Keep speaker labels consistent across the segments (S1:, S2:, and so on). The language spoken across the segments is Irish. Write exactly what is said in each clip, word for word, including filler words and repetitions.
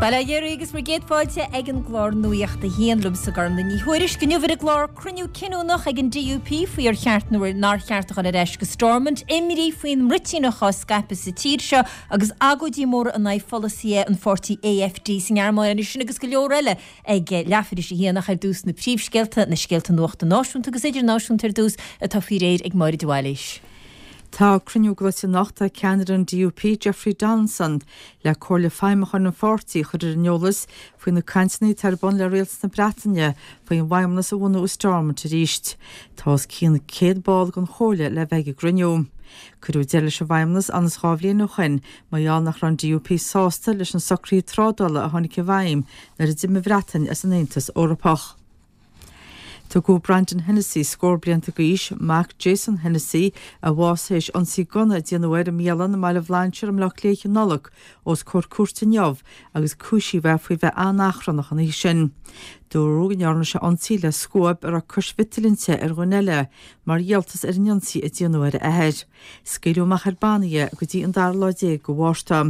S1: Bail ó Dhia oraibh agus bhur gcéad fáilte ag an gclár Nuacht a hAon liomsa Gormlaith Ní Thuairisg. Inniu ar an gclár cruinniú cinniúnach ag an DUP faoi ar cheart nó nár cheart a dhul ar ais go Stormont, imní faoin mbruitíneach á scaipeadh sa tír seo agus agóidí móra in aghaidh pholasaithe an pháirtí AfD sa nGearmáin sin agus go leor eile ag leathuair tar éis a haon ach ar dtús na príomhscéalta, na scéalta nuachta náisiúnta agus idirnáisiúnta ar dtús atá faoi réir ag Máire de Bhailís.
S2: Tá cruinniú glaoite anocht ag ceannaire an DUP Jeffrey Donaldson le Comhairle Feidhmiúcháin an pháirtí a chur ar an eolas faoi na cainteanna atá ar bun le Rialtas na Breataine faoin bhFeidhmeannas a bhunú i Stormont arís. Tá os cionn céad ball den chomhairle le bheith ag an gcruinniú. Cuireadh deireadh leis an bhFeidhmeannas ann is dhá bhliain ó shin mar gheall nach raibh an DUP sásta leis na socruithe trádála a tháinig i bhfeidhm nuair a d'imigh an Bhreatain as an Aontas Eorpach. Tugadh Brandon Hennessy scór blianta d'aois, mac Jason Hennessy a bhásaigh théis ionsaí gunna a déanadh air i mbialann i mBaile Bhlainséir i mBleá Cliath i Nollag os comhair cúirte inniu agus cúisíodh é faoi bheith an-achrannach an oíche sin. Dúradh go ndearna sé ionsaí le scuab a raibh cois mhiotail inti ar dhuine eile mar dhíoltas ar an ionsaí a déanadh ar a athair. Scaoileadh amach ar bannaí é go dtí an dara lá déag de Mhárta.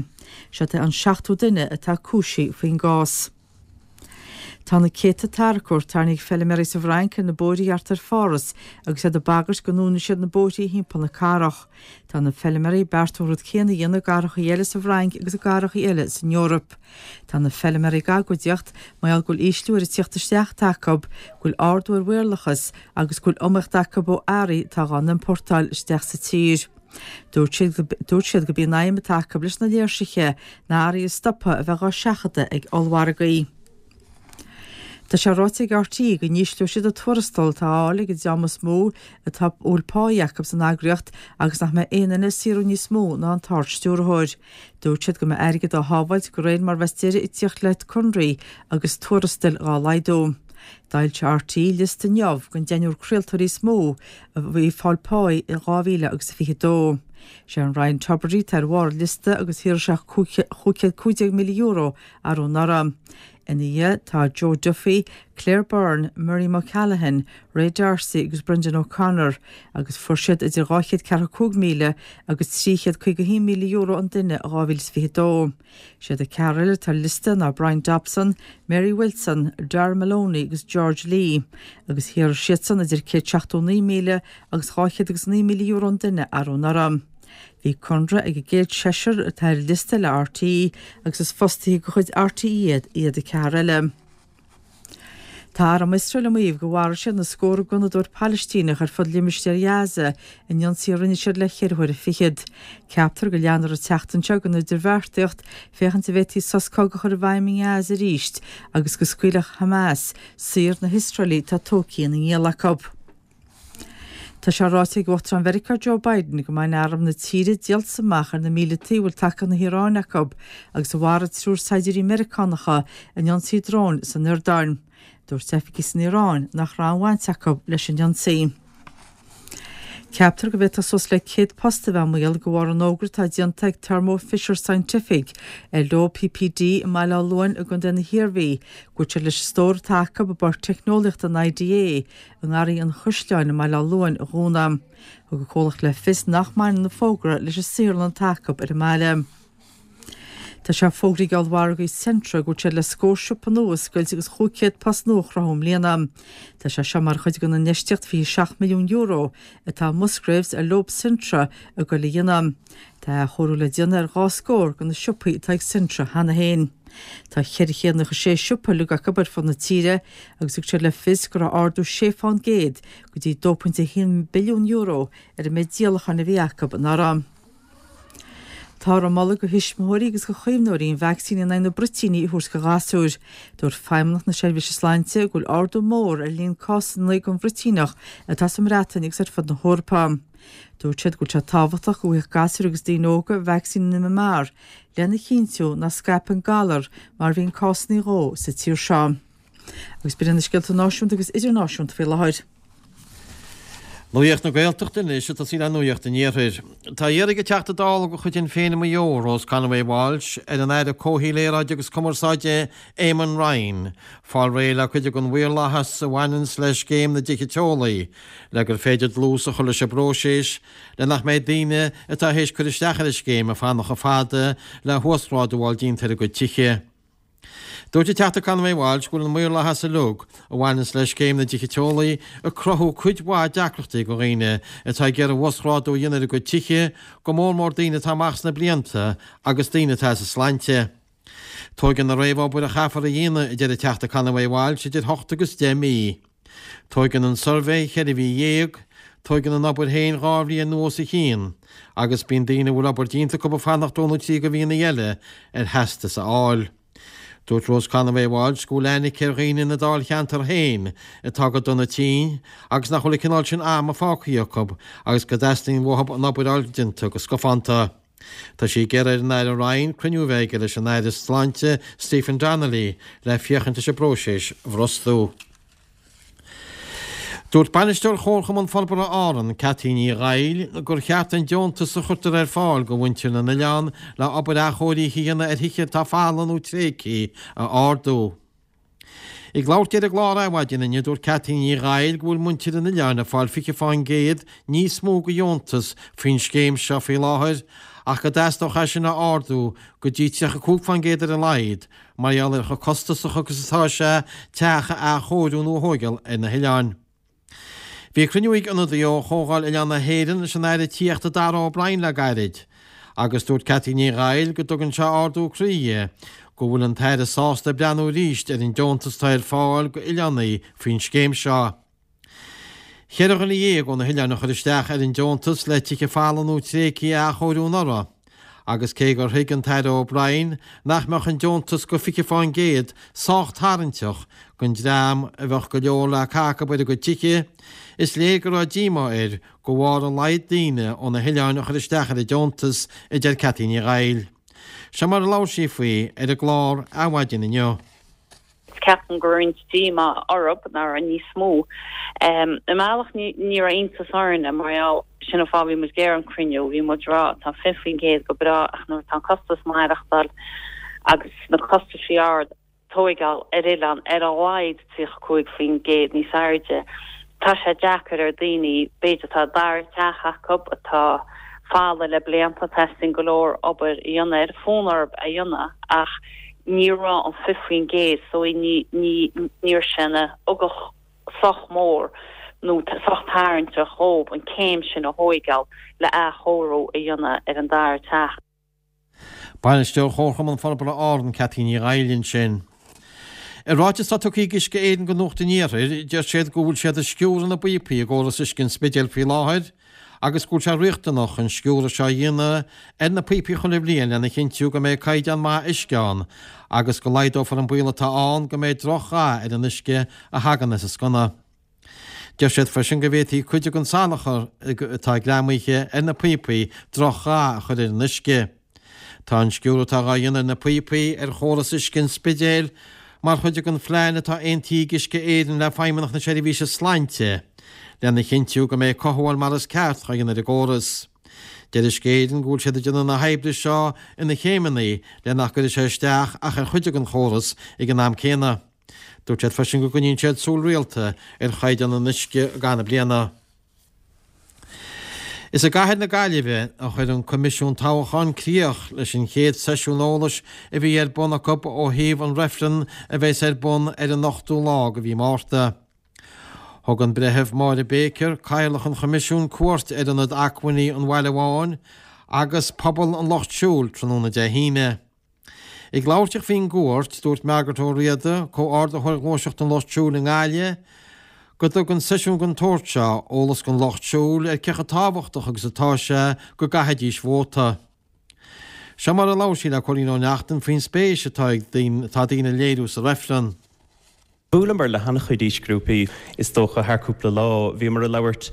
S2: Seo é an seachtú duine atá cúisithe faoin gcás. Tá na céadta tarracóir tarraingthe ag feilméaraí sa bhFrainc ar na bóithre thart ar Pháras agus iad ag bagairt go ndúnfaidh siad na bóithre thimpeall na cathrach. Tá na feilméaraí ag beartú an rud céanna a dhéanamh i gcathracha eile sa bhFrainc agus i gcathracha eile san Eoraip. Tá na feilméaraí ag agóidíocht mar gheall go bhfuil ísliú ar an tíocht isteach atá acu, go bhfuil ardú ar mhaorlathas agus go bhfuil iomaíocht acu ó earraí atá dhá n-iompórtáil isteach sa tír. Dúirt siad gurb í an aidhm atá acu leis na léirsithe ná earraí a stopadh a bheith dhá seachadadh ag ollmhargaí. Tá sé ráite ag RTÉ go n-ísleoidh siad an tuarastal atá á fháil ag an dream is mó atá a bhfuil páí acu san eagraíocht agus nach mbeidh aon duine ag saothrú níos mó ná an tArd-Stiúrthóir. Dúirt siad go mbeidh airgead á shábháilt de réir mar bheas deireadh ag tíocht le conraí agus tuarastail dhá laghdú. D'fhoilsigh RTÉ liosta inniu den deichniúr craoltóirí is mó a bhí ag fáil páí in dhá mhíle agus a fiche dó. Sé an Ryan Tubridy atá ar bharr an liosta agus shaothraigh sé chúig chéad cúig déag míle euro arú anuraidh. Ina dhiaidh tá Joe Duffy, Claire Byrne, Miriam O'Callaghan, Ray D'Arcy agus Brendan O'Connor agus fuair siad idir dhá chéad ceathracha cúig míle agus trí chéad caoga haon míle euro an duine i dhá mhíle is fiche dó. Siad an ceathrar eile atá ar liosta ná Bryan Dobson, Mary Wilson, Darragh Maloney agus George Lee agus shaothraigh siadsan idir céad seachtó naoi míle agus dhá chéad agus naoi míle euro an duine arú anuraidh. Bhí conradh ag an gcéad seisear atá ar liosta le RTÉ agus is fostaithe de chuid RTÉ iad iad an ceathrar eile. Tá arm Iosrael ag maíomh gur mharaigh siad na scórtha gunnadóir Palaistíneach ar fud limistéar Ghaza in ionsaí a rinne siad le ceithre huaire fichead. Ceaptar go leanfar an tseachtain seo den idirbheartaíocht féachaint an bhféadfaí sos cogaidh a chur i bhfeidhm i nGaza arís agus go scaoilfeadh Hamas saor na hIosraelaigh atá tógtha ina ngiall acu. Tá sé ráite ag Uachtarán Mheiriceá Joe Biden go mbaineann arm na tíre díoltas amach ar na míleataigh a bhfuil tacaíocht na hIaráine acu agus a mharaigh triúr saighdiúirí Meiriceánacha in ionsaí dróin san Iordáin. Dúirt oifigigh san Iaráin nach raibh aon bhaint acu leis an ionsaí. Ceaptar go bhféadfadh suas le céad post a bheith i mbaol de bharr an fhógra atá déanta ag Thermo Fisher Scientific ar leo PPD i mBaile Átha Luain i gContae na hIarmhí go bhfuil siad leis an stór atá acu i bPáirc Teicneolaíochta an IDA i nGarraí an Chaisleáin i mBaile Átha Luain a dhúnadh. Thug an comhlacht le fios nach mbaineann an fógra leis an saotharlann atá acu ar an mbaile. Tá sé fógraithe ag ollmhargaí Centra go bhfuil siad le scór siopa nua a oscailt agus chúig chéad post nua a chruthú i mbliana. Tá sé seo mar chuid den infheistíocht fiche seacht milliún euro atá Musgraves ar leo Centra ag goil a dhéanamh. Tá athchóiriú le déanamh ar dhá scór de na siopaí atá ag Centra cheana féin. Tá ceithre chéad nócha sé siopa uilig acu ar fud na tíre agus thug siad le fios go raibh ardú sé fán gcéad go dtí dó pointe a haon billiún euro ar an méid díolacháin a bhí acu anuraidh. Táthar ag moladh do thuismitheoirí agus do chaomhnóirí an vacsaín in aghaidh na bruitíní a thabhairt do ghasúir. Dúirt Feidhmeannacht na Seirbhíse Sláinte go bhfuil ardú mór ar líon cásanna den bhruitíneach atá sa mBreatain agus ar fud na hEorpa. Dúirt siad go bhfuil sé tábhachtach go bhfaigheadh gasúir agus daoine óga vacsaín an MMR lena chinntiú nach scaipfear an galar mar a bhíonn cásanna dhó sa tír seo. Agus b'in na scéalta náisiúnta agus idirnáisiúnta faoi láthair.
S3: Nuacht na Gaeltachta anois ag tosaí le Nuacht an Iarthair. Tá iarraidh ag an Teachta Dála de chuid Shinn Féin i Maigh Eo, Rose Conway Walsh, ar an Aire Comhshaoil, Aeráide agus Cumarsáide, Eamon Ryan, fáil réidh le cuid den mhaorlathas a bhaineanns le scéim na dtithe teolaí, le gur féidir dlús a chur leis an bpróiseas le nach mbeidh daoine atá théis cur isteach ar an scéim ag fanacht chomh fada le huasghrádú a fháil déanta ar a gcuid tithe. Dúirt an Teachta Conway Walsh go bhfuil an maorlathas uilig a bhaineanns le scéim na dtithe teolaí ag cruthú cuid mhaith deacrachtaí do dhaoine atá ag iarraidh uasghrádú a dhéanamh ar a gcuid tithe, go mór mór daoine atá amach sna blianta agus daoine atá as a sláinte. Tóigeann an réamhobair a chaithfear a dhéanamh, a deir an Teachta Conway Walsh, idir hocht agus deich mí. Tóigeann an suirbhé cheithre mhí dhéag, tóigeann an obair féin dhá bhliain nó os a chionn, agus bíonn daoine a bhfuil obair déanta acu ag fanacht dó nó trí de mhíonna eile ar theastas a fháil. Dúirt Rose Conway Walsh go bhfuil aithne aici ar dhaoine ina dáilcheantar féin atá go dona tinn agus nach bhfuil an cineál sin ama fágtha acu agus go dteastaíonn uathu an obair a fháil déanta go scafánta. Tá sí ag iarraidh ar an Aire Ryan cruinniú a bheith aige leis an Aire Sláinte Stephen Donnelly le féachaint leis an bpróiseas a bhrostú. Dúirt Bainisteoir Chomharchumann Forbartha Árann, Cathy Ní Dhaill, gur cheart an deontas a chuirtear ar fáil do mhuintir na n-oileán le obair athchóirithe a dhéanamh ar thithe atá folamh nó tréigthe a ardú. Ag labhairt di ar an gclár Adhmhaidin inniu, dúirt Cathy Ní Dhaill go bhfuil muintir an oileáin ag fáil fiche fán gcéad níos mó de dheontas faoin scéim seo faoi láthair ach go dteastódh é sin a ardú go dtí tríocha cúig fán gcéad ar a laghad mar gheall ar chomh costasach agus atá sé teach a athchóiriú nó a thóigeáil ar na hoileáin. Bhí cruinniú ag ionadaí ó Chomhdháil Oileán na hÉireann leis an Aire Tithíochta Darragh O'Brien le gairid agus dúirt Cathy Ní Dhaill go dtugann sé ardú croí di go bhfuil an tAire sásta breathnú arís ar an deontas atá ar fáil go oileánaigh faoin scéim seo. Ceithre dhuine dhéag ó na hoileáin a chuir isteach ar an deontas le tithe folamh nó tréigthe a athchóiriú anuraidh agus cé gur thuig an tAire O'Brien nach mbeadh an deontas go fiche fán gcéad sách tarraingteach don dream a bheadh go leor le caitheamh acu ar a gcuid tithe, is léir go raibh díomá air go bharr a laghad daoine ó na hoileáin a chuir isteach ar an deontas, a deir Cathy Ní Dhaill. Seo mar a labhair sí faoi ar an gclár Adhmhaidin inniu.
S4: Ceapaim go raibh roinnt díomá orthu nach raibh níos mó. I mbealach ní raibh iontas orainne mar gheall, sin an fáth bhí muid ag iarraidh an cruinniú, bhí muid ag rá tá fiche faoin gcéad go breá ach nuair atá an costas maireachtáil agus na costaisí ard tóigeáil ar oileán ar a laghad tríocha cúig faoin gcéad níos airde, tá sé deacair ar daoine b'fhéidir atá dara teach acu atá folamh le blianta, teastaíonn go leor obair a dhéanamh air, fonn orthu a dhéanamh ach ní raibh an fiche faoin gcéad so ní ní ní raibh sé ina ugach sách mór nó sách tarraingteach dhóibh an céim sin a thóigeáil le athchóiriú a dhéanamh ar an dara teach.
S3: Bainisteoir Chomharchumann Forbartha Árann, Cathy Ní Dhaill ansin. I ráiteas atá tugtha ag Uisce Éireann go Nuacht an Iarthair, deir siad go bhfuil siad ag sciúradh na bpíopaí i gcóras uisce an Spidéil faoi láthair agus go bhfuil sé riachtanach an sciúradh seo a dhéanamh ar na píopaí chuile bhliain lena chinntiú go mbeidh caighdeán maith uisce ann agus go laghdófar an baol atá ann go mbeidh droch-dhath ar an uisce a thagann as an sconna. Deir siad freisin go bhféadfaidh cuid den salachar atá greamaithe ar na píopaí droch-dhath a chur ar an uisce. Tá an sciúradh atá á dhéanamh ar na píopaí ar chóras uisce an Spidéil mar chuid den phlean atá aontaithe ag Uisce Éireann le Feidhmeannacht na Seirbhíse Sláinte lena chinntiú go mbeidh cothabháil mar is ceart á dhéanamh ar an gcóras. Deir Uisce Éireann go bhfuil siad ag déanamh na hoibre seo ina chéimeanna le nach gcuirfidh sé isteach ach ar chuid den chóras ag an am céanna. Dúirt siad freisin go gcoinníonn siad súil rialta ar chaighdeán an uisce i gcaitheamh na bliana. Is i gcathair na Gaillimhe a chuir an Coimisiún Toghcháin críoch leis an chéad seisiún eolais a bhí ar bun acu ó thaobh an reifreann a bheas ar bun ar an ochtú lá de mhí Márta. Thug an Breitheamh Máire Baker, Cathaoirleach an Choimisiúin, cuairt ar Ionad Acmhainní an Bhaile Bháin agus Puball an Lucht Siúil tráthnóna Dé hAoine. Ag labhairt di faoin gcuairt, dúirt Margaret Ó Riada, Comhordaitheoir Ghluaiseacht an Lucht Siúil i nGaillimh, go dtugann seisiún den tsórt seo eolas don lucht siúil ar cé chomh tábhachtach agus atá sé go gcaithfidís vóta. Seo mar a labhair sí le Cóilín Ó Neachtain faoin spéis atá ag atá daoine a léiriú sa reifreann.
S5: Bhuaileamar le han-chuid aoisghrúpaí, is dócha, thar cúpla lá. Bhíomar ag labhairt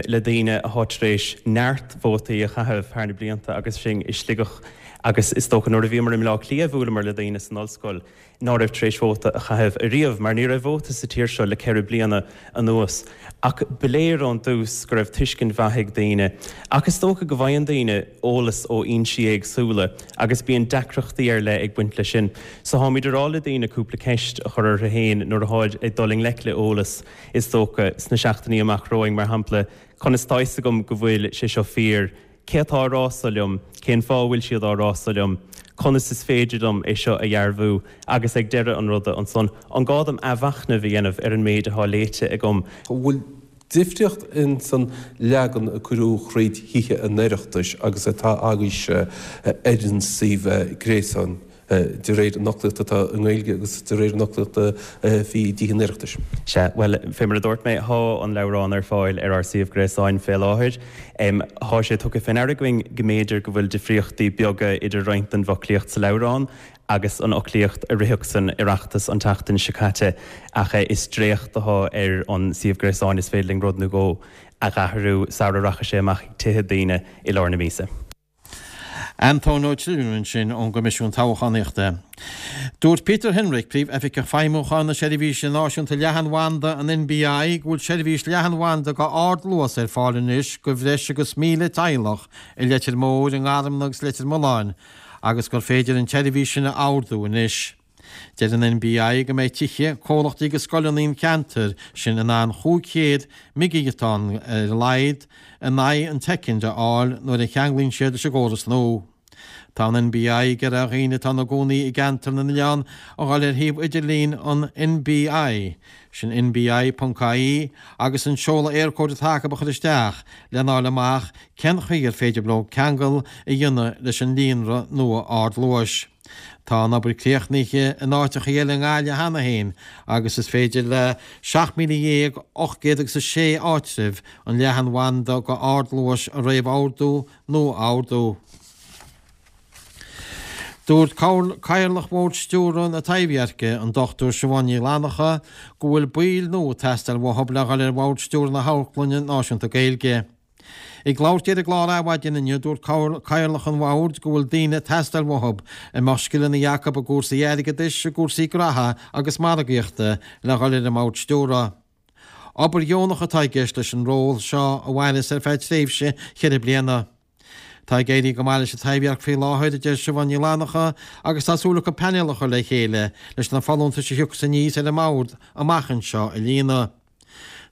S5: le daoine atá tar éis neart vótaí a chaitheamh thar na blianta agus sinn i Sligeach agus is dócha nuair a bhíomar i mBleá Cliath bhuaileamar le daoine san ollscoil ná raibh tar éis vóta a chaitheamh ariamh mar ní raibh vóta sa tír seo le ceithre bliana anuas. Ach ba léir ón dtús go raibh tuiscint mhaith ag daoine. Ach is dócha go bhfaigheann daoine eolas ó fhoinsí éagsúla agus bíonn deacrachtaí ar leith ag baint leis sin. So táimid ag rá le daoine cúpla ceist a chur orthu féin nuair atáid ag dul i ngleic le eolas, is dócha, sna seachtainí amach romhainn, mar shampla, conas tá fhios agam go bhfuil sé seo fíor? Cé atá á rá seo liom, cén fáth a bhfuil siad á rá seo liom, conas is féidir liom é seo a dhearbhú agus ag deireadh an ruda ansan, an gá dom athmhachnamh a dhéanamh ar an méid atá léite agam?
S6: An bhfuil difríocht ins an leagan a cuireadh thríd Thithe an Oireachtais agus atá agaibhse ar an suíomh gréasáin? de réir an fhoclaíocht atá i nGaeilge agus de réir an fhoclaíocht a bhí i dTithe an Oireachtais.
S5: Sea, bhuel, fé mar a dúirt mé, thá an leabhrán ar fáil ar ár suíomh gréasáin fé láthair. Thá sé tugtha fé ndeara againn go mb'fhéidir go bhfuil difríochtaí beaga idir roinnt den bhfoclaíocht sa leabhrán agus an fhoclaíocht a ritheadh san Oireachtas an tseachtain seo caite, ach is dréacht athá ar an suíomh gréasáin, is féidir linn rud nó dhó a dh'athrú sara rachaidh sé amach chuig tithe daoine i lár na míosa.
S3: Antóin Ó Tríún ansin ón gCoimisiún Toghchánaíochta. Dúirt Peter Hinrich, Príomh-Oifigeach Feidhmiúcháin na Seirbhíse Náisiúnta Leathanbhanda, an NBI, go bhfuil seirbhís leathanbhanda go ardluas ar fáil anois go bhreis agus míle teaghlach i Leitir Móir, i nGarmna agus Leitir Mealláin agus gur féidir an tseirbhís sin a ordú anois. Deir an NBI go mbeidh tithe, comhlachtaí agus scoileanna an cheantair sin in ann chúig chéad meigighiotáin ar a laghad in aghaidh an tsoicind a fháil nuair a cheanglaíonn siad leis an gcóras nua. Tá an NBI ag iarraidh ar dhaoine atá ina gcónaí i gceantar na n-oileán a dhul ar shuíomh idirlín an NBI, sin nbi ponc ie, agus an seoladh Eircode atá acu a chur isteach lena fháil amach cén chaoi ar féidir leo ceangal a dhéanamh leis an líonra nua ardluais. Tá an obair críochnaithe in áiteacha eile i nGaillimh cheana féin agus is féidir le seacht míle dhéag ocht gcéad agus a sé áitreabh an leathanbhanda go ardluais a réamhordú nó a ordú. Dúirt Cathaoirleach Bhord Stiúrtha na Taibhdheirce, an Dochtúir Siobhán Ní Fhlannacha, go bhfuil baill nua ag teastáil uathu le dhul ar Bhord Stiúrtha na hAmharclainne Náisiúnta Gaeilge. Ag labhairt di ar an gclár Adhmhaidin inniu, dúirt Cathaoirleach an Bhoird go bhfuil daoine ag teastáil uathu a mbeadh scileanna acu i gcúrsaí airgeadais, i gcúrsaí graithe agus margaíochta le dhul ar an mBord Stiúrtha. Obair dheonach atá i gceist leis an ról seo a mhairfeas ar feadh tréimhse cheithre bliana. Tá ag éirí go maith leis an Taibhdhearc faoi láthair, a deir Siobhán Ní Fhlannacha, agus tá súil acu painéal a chur le chéile leis na folúntais a thiocfas aníos ar an mBord amach anseo a líonadh.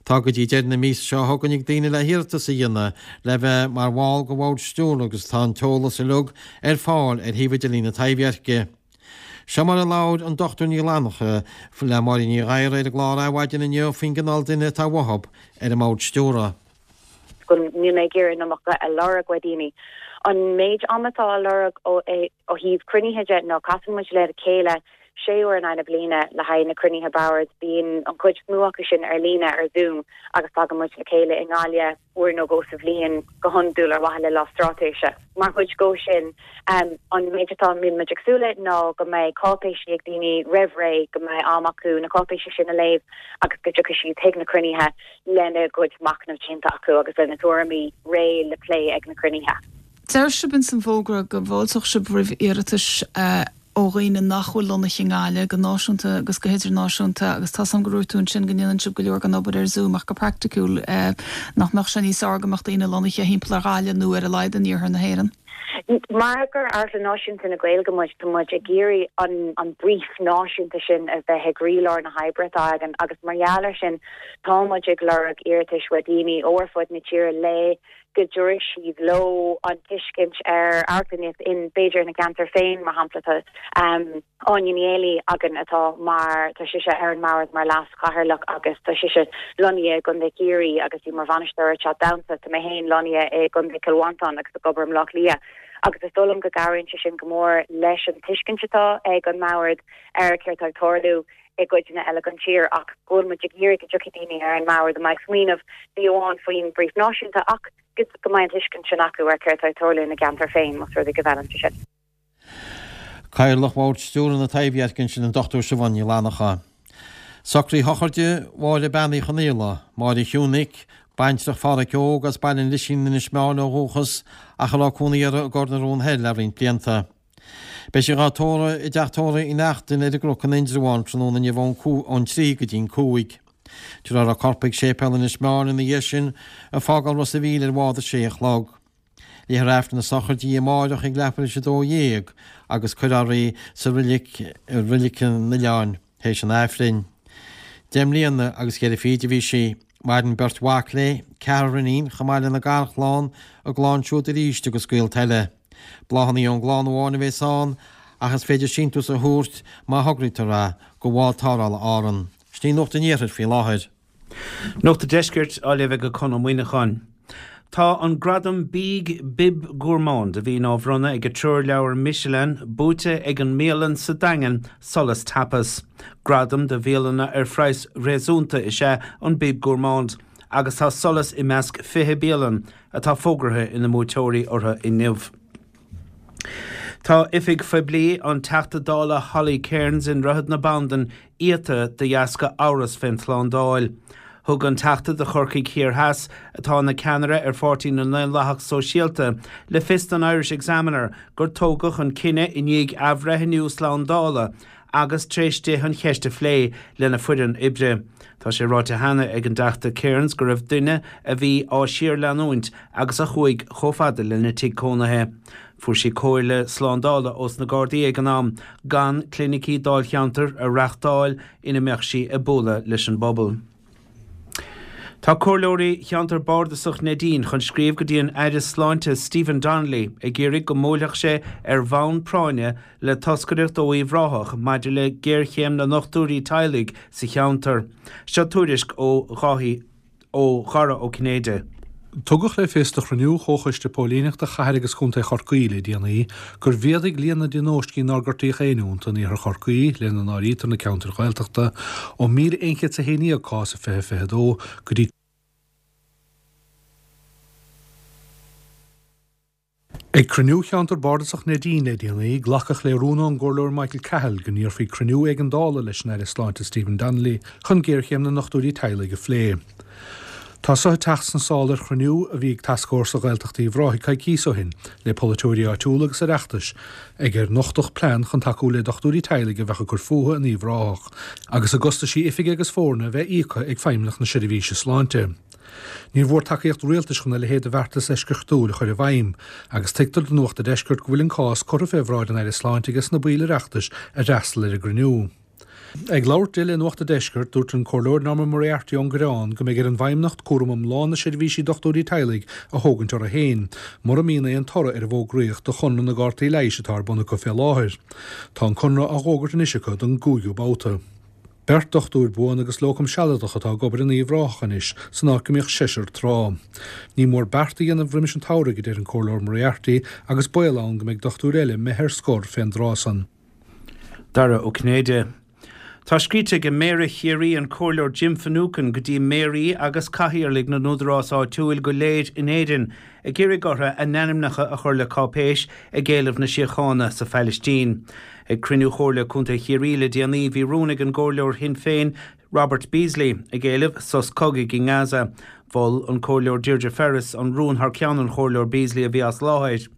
S3: Tá go dtí deireadh na míosa seo chugainn ag daoine le hiarratas a dhéanamh le bheith mar bhall de Bhord Stiúrtha agus tá an t-eolas uilig ar fáil ar shuíomh idirlín na Taibhdheirce. Seo mar a labhair an Dochtúir Ní Fhlannacha le Máirín Ní Ghadhra ar an gclár Adhmhaidin inniu faoin gcineál duine atá uathu ar an mBord Stiúrtha.
S7: go níl mé ag iarraidh an iomarca a lorg ó dhaoine. An méid ama atá á lorg ó thaobh cruinnithe de ná casann muid le chéile sé uair in aghaidh na bliana le haghaidh na cruinnithe boird. Bíonn an chuid is mó acu sin ar líne ar Zoom agus tagann muid le chéile i nGaillimh uair nó dhó sa bhliain go hiondúil ar mhaithe le lá straitéise. Mar chuid dhó sin, an méid atá mbíonn muid ag súil le ná go mbeidh cáipéisí ag daoine roimh ré, go mbeidh am acu na cáipéisí sin a léamh agus go dtiocfaidh siad chuig na cruinnithe lena gcuid machnamh déanta acu agus lena dtuairimí réidh le plé ag na cruinnithe.
S8: Deir sibh ins an bhfógra go bhfáilteodh sibh roimh iarratais ó dhaoine nach bhfuil lonnaithe i nGaillimh, go náisiúnta agus go hidirnáisiúnta, agus tá's agam go ndúirt tú ansin go ndéanann sibh go leor den obair ar Zoom ach go praiticiúil nach mbeadh sé níos fearr go mbeadh daoine lonnaithe thimpeall ar Ghaillimh nó ar a laghad in iarthar na hÉireann?
S7: Mar gur Amharclann Náisiúnta na Gaeilge muid, tá muid ag iarraidh an an brief náisiúnta sin a bheith i gcroílár na hoibre atá againn agus mar gheall air sin tá muid ag lorg iarratais ó dhaoine ó ar fud na tíre le go dtabharfaidh siad leo an tuiscint ar amharclannaíocht in b'fhéidir ina gceantar féin, mar shampla tá Áine Ní Éalaí againn atá mar, tá sise ar an mbord mar leas-chathaoirleach agus tá sise lonnaithe i gContae Chiarraí agus í mar bhainisteoir ar Teach Damhsa, tá mé féin lonnaithe i gContae Chill Mhantáin agus ag obair i mBleá Cliath agus is dóigh liom go gcabhraíonn sé sin go mór leis an tuiscint atá ag an mbord ar céard atá ag tarlú i gcuideanna eile den tír ach go bhfuil muid ag iarraidh go dtiocfaidh daoine ar an mbord a mbeidh ag smaoineamh ní amháin faoin brief náisiúnta ach go mbeidh an tuiscint sin acu ar céard atá ag tarlú ina gceantar féin, más rud é go bhfeileann sé sin.
S3: Cathaoirleach Bhord Stiúrtha na Taibhdheirce ansin an Dochtúir Siobhán Ní Fhlannacha. Socraíodh sochraide Mháire Bean Uí Chonaola, Máire Shiúnic, baintreach Phádhraic Óg as Baile an Lisín in Inis Meáin ó dhúchas ach a raibh cónaí uirthi i gCor na Rón Thoir le roinnt blianta. Beidh sí dhá tórramh i dteach tórraimh Uí Neachtain ar an gCnoc in Indreabhán tráthnóna inniu ón trí go dtí'n cúig. Tabharfar a corp chuig séipéal Inis Meáin ina dhiaidh sin, ag fágáil Ros a' Mhíl ar bhád a sé a chlog. Léifear Aifreann na sochraide di amáireach ag leathuair théis a dó dhéag agus cuirfear í sa roilig i Reilig an Oileáin théis an Aifrinn. Deich mbliana agus ceithre fichid a bhí sí. Maireann beirt mhac léi, ceathrar iníon, chomh maith lena garchlann, a gclann siúd arís agus gaolta eile. Bláthanna ón gclann amháin a bheas ann ach is féidir síntiús a thabhairt má thograítear é go Bhád Tarrthála Árann. Sin í Nuacht an Iarthair faoi láthair.
S9: Nuacht an Deiscirt á léamh ag Conn Ó Muíneacháin. Tá an gradam bídh Bib Gourmand, a bhíonn á bhronnadh ag an treoirleabhar Michelin, buaite ag an mbialann sa Daingean, Solas Tapas. Gradam do bhialanna ar phraghas réasúnta is ea an Bib Gourmand agus tá Solas i measc fiche bialann atá fógartha ina mbuaiteoirí orthu inniu. Tá oifig phoiblí an Teachta Dála Holly Cairns i nDroichead na Bandan iata de dheasca amhras fén tslándáil. Thug an Teachta do Chorcaigh Thiar Theas, atá ina ceannaire ar Pháirtí na nDaonlathach Sóisialta, le fios don Irish Examiner gur tógadh an cinneadh i ndiaidh athbhreithniú slándála agus tar éis di an cheist a phlé lena foireann oibre. Tá sé ráite cheana ag an dTeachta Cairns go raibh duine a bhí á síorleanúint agus a chuaigh chomh fada lena tigh cónaithe. Fuair sí comhairle slándála ós na Gardaí ag an am gan clinicí dáilcheantair a reáchtáil ina mbeadh sí ag bualadh leis an bpobal. Tá comhairleoirí cheantar bardasach Neidín chun scríobh go dtí an Aire Sláinte Stephen Donnelly ag iarraidh go mbuailfeadh sé ar bhonn práinne le toscaireacht ó Uíbh Ráthach maidir le géarchéim na ndochtúirí teaghlaigh sa cheantar. Seo tuairisc ó Dháithí ó Dhara Ó Cinnéide.
S10: Tugadh le fios do chruinniú Chomhchoiste Póilíneachta Chathair agus Chontae Chorcaí le déanaí gur mhéadaigh líon na dtionóiscí nár gortaíodh éinne iontu in iarthar Chorcaí, lena n-áirítear na ceantair Ghaeltachta, ó míle aon chéad is a haon déag cás i fiche fiche dó go dtí Ag cruinniú Cheantar Bardasach Neidín le déanaí, glacadh le rún ón gComhairleoir Michael Cahill go n-iarrfaí cruinniú éigeandála leis an Aire Sláinte Stephen Donnelly chun géarchéim na ndochtúirí teaghlaigh a phlé. Tá so ag teacht sna sála ar chruinniú a bhí ag Tascfhórsa Ghaeltacht Uíbh Ráthaigh coicíos ó shin le polaiteoirí áitiúla agus Oireachtais ag ar nochtadh plean chun tacú le dochtúirí teaghlaigh a bheadh ag cur fúthu in Uíbh Ráthach agus a gcostaisí oifige agus foirne a bheith íoctha ag Feidhmeannacht na Seirbhíse Sláinte. Níor mhór tacaíocht rialtais chun a leithéid de bheartas eisceachtúil a chur i bhfeidhm, agus tuigtear do Nuacht an Deiscirt go bhfuil an cás curtha fé bhráid an Aire Sláinte ages na baill Oireachtais a d'fhreastail ar an gcruinniú. Ag labhairt di le Nuacht an Deiscirt, dúirt an Comhairleoir Norma Moriarty ón gCoireán go mbeidh ar an bhFeidhmeannacht cúram iomlán na seirbhísí dochtúirí teaghlaigh a thógaint orthu féin, mura mbíonn aon toradh ar an bhfógraíocht do chonradh na gcártaí leighis atá ar bun acu fé láthair. Tá an conradh á dh'fhógairt anois acu don gcúigiú babhta. Beirt dochtúir buan agus lócam sealadach atá ag obair in Uíbh Ráthach anois, san áit go mbíodh seisear tráth. Ní mór beart a dhéanamh roimis an tsamhraidh, a deir an Comhairleoir Moriarty, agus baol ann go mbeidh dochtúir eile imithe ar scor fén dtráth san.
S9: Dara Ó Cinnéide. Tá scríte ag Méara Chiarraí, an Comhairleoir Jim Finucane, go dtí méaraí agus cathaoirligh na n-údarás áitiúil go léir in Éirinn ag iarraidh orthu a n-ainmneacha a chur le cáipéis ag éileamh na síochána sa Phailistín. Ag cruinniú Chomhairle Contae Chiarraí le déanaí bhí rún ag an gComhairleoir Shinn Féin Robert Beasley ag éileamh sos cogaidh i nGaza. Mhol an Comhairleoir Deirdre Ferris an rún thar ceann an Chomhairleoir Beasley a bhí as láthair.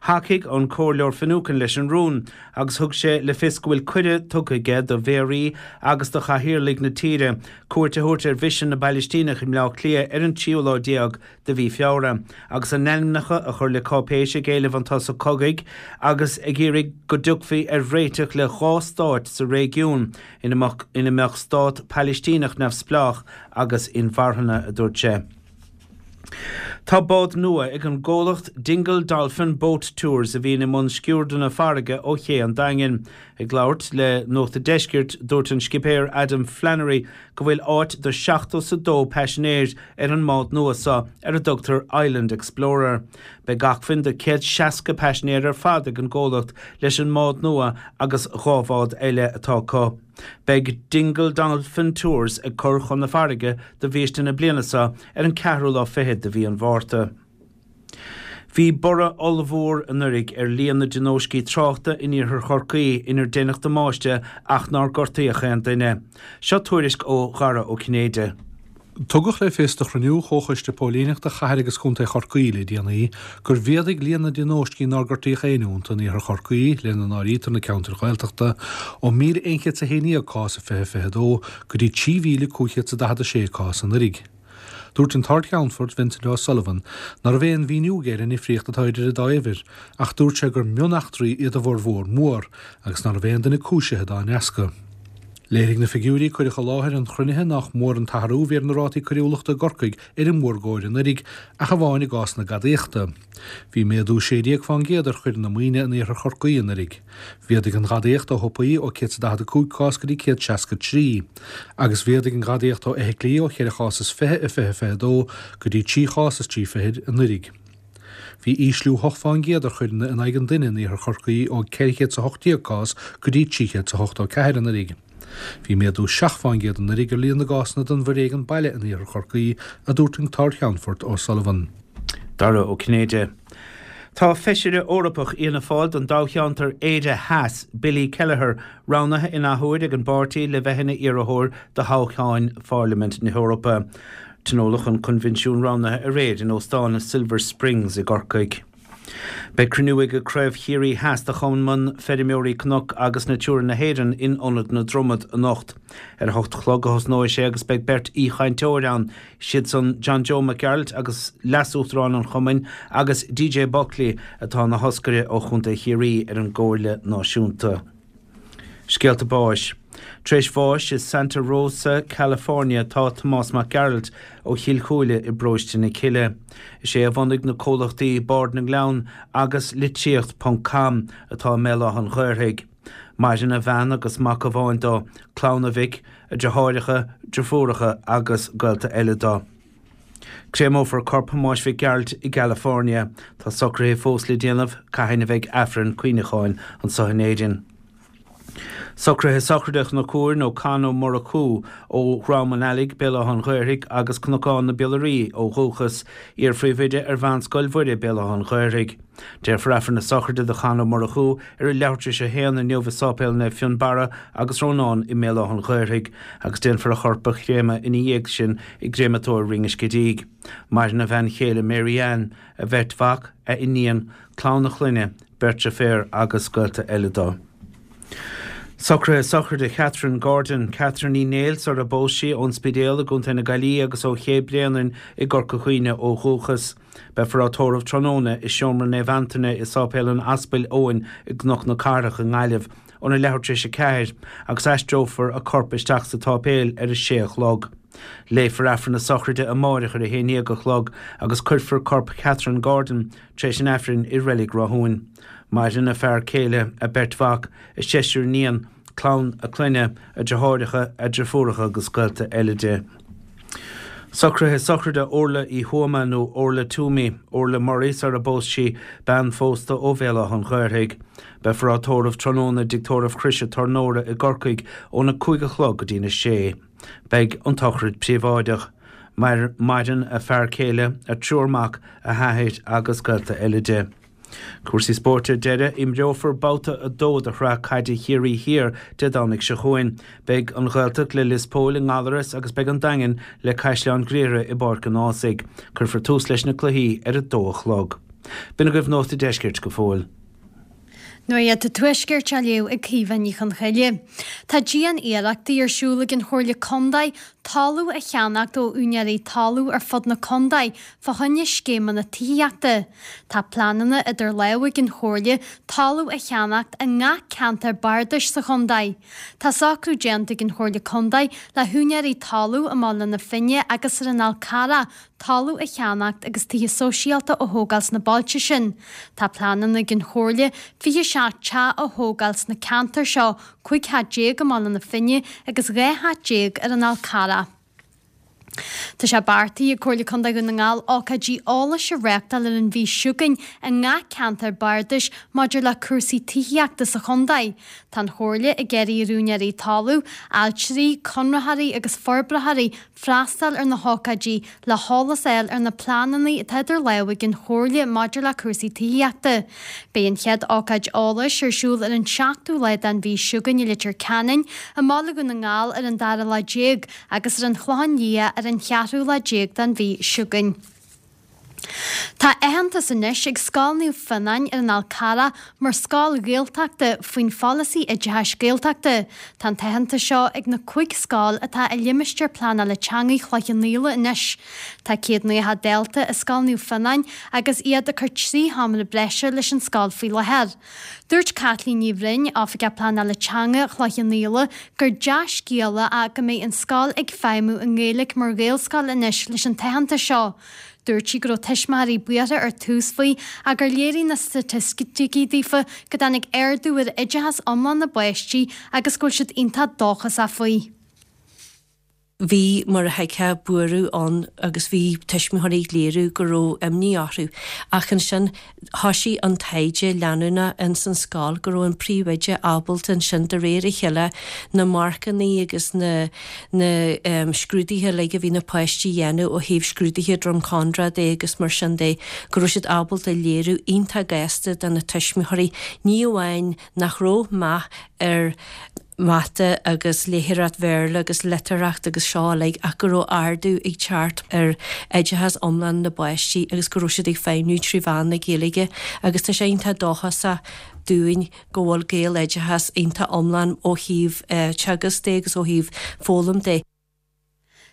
S9: Thacaigh an Comhairleoir Finucane leis an rún agus thug sé le fios go bhfuil cuireadh tugtha aige do mhéaraí agus do chathaoirligh na tíre cuairt a thabhairt ar Mhisean na bPailistíneach i mBleá Cliath ar an tríú lá déag de mhí Feabhra, agus a n-ainmneacha a chur le cáipéis ag éileamh an tsosa cogaidh agus ag iarraidh go dtiocfaí ar réiteach le dhá stáit sa réigiún ina mbeadh stát Palaistíneach neamhspleách agus inmharthana, a dúirt sé. Tá bád nua ag an gcomhlacht Dingle Dolphin Boat Tours a bhíonn i mbun sciuirdeanna farraige ó ché an Daingin. Ag labhairt le Nuacht a' Deiscirt, dúirt an scipéir Adam Flannery go bhfuil áit do seachtó 's a dó paisinéir ar an mbád nua seo ar a dtugtar Island Explorer. Beidh acmhainn do céad seasca paisinéir ar fad ag an gcomhlacht leis an mbád nua agus dhá bhád eile atá acu. Beidh Dingle Dolphin Tours ag cur chun na farraige do bhiaiste na bliana seo ar an ceathrú lá fichead de mhí an Mhárta. Bhí borradh ollmhór anuraidh ar líon na dtionóiscí tráchta in iarthar Chorcaí inar deineadh damáiste ach nár gortaíodh aon duine. Seo tuairisc ó Dhara Ó Cinnéide.
S10: Tugadh le fios do chruinniú Chomhchoiste Póilíneachta Chathair agus Chontae Chorcaí le déanaí gur mhéadaigh líon na dtionóiscí nár gortaíodh éinne iontu in iarthar Chorcaí, lena n-áirítear na ceantair Ghaeltachta, ó míle aon chéad 's a haon déag cás i fiche fiche dó go dtí trí mhíle cúig chéad 's a daichead a sé cás anuraidh. Dúirt an tArd-Cheannfort Vincent O'Sullivan ná raibh aon mhíniú aige ar an ndifríocht atá idir an dá uimhir ach dúirt sé gur mioneachtraí iad a bhformhór mór agus ná raibh aon duine cúisithe dá ndeasca. Léirigh na figiúirí a cuireadh i láthair an chruinnithe nach mór an t-athrú a bhí ar na rátaí coiriúlachta i gCorcaigh ar an mórgóir anuraidh, ach amháin i gcás na gadaíochta. Bhí méadú sé déag fán gcéad ar choireanna maoine in iarthar Chorcaí anuraidh. Mhéadaigh an ghadaíocht ó shiopaí ó céad is a daichead a cúig cás go dtí céad seasca a trí, agus mhéadaigh an ghadaíocht ó fheithiclí ó cheithre chás is fiche i fiche fiche a dó go dtí trí chás is trí fichid anuraidh. Bhí ísliú hocht fán gcéad ar choireanna in aghaidh an duine in iarthar Chorcaí ó ceithre chéad is a hocht déag cás go dtí trí chéad is a hochtó ceathair anuraidh. Bhí méadú seacht fán gcéad anuraidh ar líon na gcásanna den bhforéigean baile in iarthar Chorcaí, a dúirt an tArd-Cheannfort O'Sullivan.
S9: Dara Ó Cinnéide. Tá Feisire Eorpach Fhianna Fáil don dtoghcheantar Éire Theas, Billy Kelleher, roghnaithe in athuair ag an bpáirtí le bheith ina iarrthóir do thoghchán Pharlaimint na hEorpa. Tionóladh an coinbhinsiún roghnaithe aréir in Óstán Silver Springs i gCorcaigh. Beidh cruinniú ag Craobh Chiarraí Theas de Chumann Feirmeoirí Cnoc agus Natura na hÉireann in Ionad na Dromad anocht. Ar a hocht a chlog a thosnóidh sé agus beidh beirt aoichainteoir ann, siad san John Joe Mac Gearailt agus Leas-Uachtarán an Chumainn agus DJ Buckley atá ina thoscaire ó Chontae Chiarraí ar an gComhairle Náisiúnta. Scéalta báis. Tar éis bháis i Santa Rosa, California tá Tomás Mac Gearailt ó Chill Chúile i bparóiste na Cille. Is é a bhunaigh na comhlachtaí Bard na nGleann agus Litríocht ponc com atá i mBéal Átha an Ghaorthaidh. Maireann a bhean agus mac amháin dó, clann a mhic, a dheartháireacha, deirfiúracha agus gaolta eile dó. Créamófar corp Thomáis Mhic Gearailt i gCalifornia. Tá socruithe fós le déanamh cathain a bheidh Aifreann cuimhneacháin anseo in Éirinn. Socruithe sochraide Chnoc Úir nó Con Ó Murchú ó Dhrom an Ailigh, Béal Átha an Ghaorthaidh agus Cnocán na Biollairí ó dhúchas, iar-phríomhoide ar Mheánscoil Mhuire, Béal Átha an Ghaorthaidh. Déarfar Aifreann na sochraide do Chon Ó Murchú ar a leathuair tar éis a haon inniu i Sáipéal Naomh Fionnbarra agus Rónán i mBéal Átha an Ghaorthaidh agus déanfar a chorp a chréamadh ina dhiaidh sin i gcréamatóir Rinn an Scidígh. Maireann a bhean chéile Mary Ann, a bheirt mhac, a iníon, clann a chlainne, beirt deirféar agus gaolta eile dó. Socruithe sochraide Chatherine Gordon, Catherine Uí Néill sar a bpós sí, ón Spidéal i gContae na Gaillimhe agus ó Ché Bréanainn i gCorca Dhuibhne ó dhúchas. Beifear á tórramh tráthnóna i Seomra Naomh Antaine i Sáipéal an Aspail Eoin i gCnoc na Cathrach i nGaillimh óna leathuair tar éis a ceathair agus aistreofar a corp isteach sa tsáipéal ar a sé a chlog. Léifear Aifreann na sochraide amáireach ar a haon déag a chlog agus cuirfear corp Chatherine Gordon tar éis an Aifrinn i Reilig Rathúin. Maireann a fear céile, a beirt mhac, a seisear iníon, clann a clainne, a deartháireacha, a deirfiúracha agus gaolta eile di. Socruithe sochraide Orla Uí Thuama nó Orla Toomey, Orla Murray sar a bpós sí, bean phósta ó Bhéal Átha an Ghaorthaidh. Beifear á tórramh tráthnóna i dTigh Tórraimh Chroise Tornóra i gCorcaigh óna cúig a chlog go dtína sé. Beidh an tsochraid príobháideach. Maireann a fear céile, a triúr mac, a hathair agus gaolta eile di. Cúrsaí spóirt ar deireadh, imreofar babhta a dó de Shraith Caide Chiarraí Thiar Dé Domhnaigh seo chugainn. Beidh an Ghaeltacht le Lios Póil i nGallaras agus beidh an Daingean le Caisleán Ghriaire i bPáirc an Ághasaigh. Cuirfear tús leis na cluichí ar a dó a chlog. B'in agaibh Nuacht an Deiscirt go fóill.
S11: Nuacht an Tuaiscirt á léamh ag Caoimhe Ní Chonchoille. Tá dian-iarrachtaí ar siúl ag an Chomhairle Contae talamh a cheannacht ó úinéirí talún ar fud na contae fá choinne scéimeanna tithíochta. Tá pleananna idir lámha ag an Chomhairle talamh a cheannacht i ngach ceantar bardais sa chontae. Tá socrú déanta ag an Chomhairle Contae le húinéirí talún i mBaile na Finne agus ar an Fhál Carrach talamh a cheannacht agus tithe sóisialta a thógáil sna bailte sin. Tá pleananna ag an Chomhairle fiche seacht teach a thógáil sna ceantair seo, cúig theach déag i mBaile na Finne agus dhá theach déag ar an Fhál Carrach. Tá sé beartaithe ag Comhairle Contae Dhún na nGall ócáidí eolais a reáchtáil ar an mhí seo chugainn i ngach ceantar bardais maidir le cúrsaí tithíochta sa chontae. Tá an Chomhairle ag iarraidh ar úinéirí talún, ailtirí, conraitheoirí agus forbraitheoirí freastal ar na hócáidí le heolas a fháil ar na pleananna atá idir lámha ag an Chomhairle maidir le cúrsaí tithíochta. Beidh an chéad ócáid eolais ar siúl ar an seachtú lá den mhí seo chugainn i Leitir Ceanainn, i mBaile Dhún na nGall ar an dara lá déag agus ar an Chlochán Liath ar an cheathrú lá déag den mhí seo chugainn. Tá aitheantas anois ag Scoil Naomh Fionnáin ar an Fhál Carrach mar scoil Ghaeltachta faoin pholasaí oideachais Gaeltachta. Tá an t-aitheantas seo ag na cúig scoil atá i limistéar pleanála teanga Chloich Cheann Fhaola anois. Tá céad nócha dalta i Scoil Naomh Fionnáin agus iad ag cur trí sheomra breise leis an scoil faoi láthair. Dúirt Caitlín Ní Bhroin, Oifigeach Pleanála Teanga Chloich Cheann Fhaola, gur dea-scéala é go mbeidh an scoil ag feidhmiú i nGaeilge mar Ghaelscoil anois leis an t-aitheantas seo. Dúirt sí go raibh tuismitheoirí buartha ar tús faoi ach gur léirigh na staitisticí daofa go dtáinig ardú ar oideachas iomlán na bpáistí agus go bhfuil siad iontach dóchasach faoi.
S12: Bhí, mar a thuigfeá, buaireamh ann agus bhí tuismitheoirí ag léiriú go raibh imní orthu. Ach ansin thoisigh an taighde leanúnach ins an scoil go raibh an príomhoide ábalta ansin de réir a chéile na marcannaí agus na na scrúduithe uilig a bhí na páistí a dhéanamh ó thaobh scrúduithe Drumcondra de agus mar sin de go raibh siad ábalta léiriú iontach gasta do na tuismitheoirí ní amháin nach raibh meath ar mata agus léitheoireacht Bhéarla agus litearthacht agus seo uilig ach go raibh ardú ag teacht ar oideachas iomlán na bpáistí agus go raibh siad ag feidhmiú trí mheán na Gaeilge agus tá sé iontach dóchasach dúinn go bhfuil Gaeloideachas iontach iomlán ó thaobh teagasc de agus ó thaobh foghlaim de.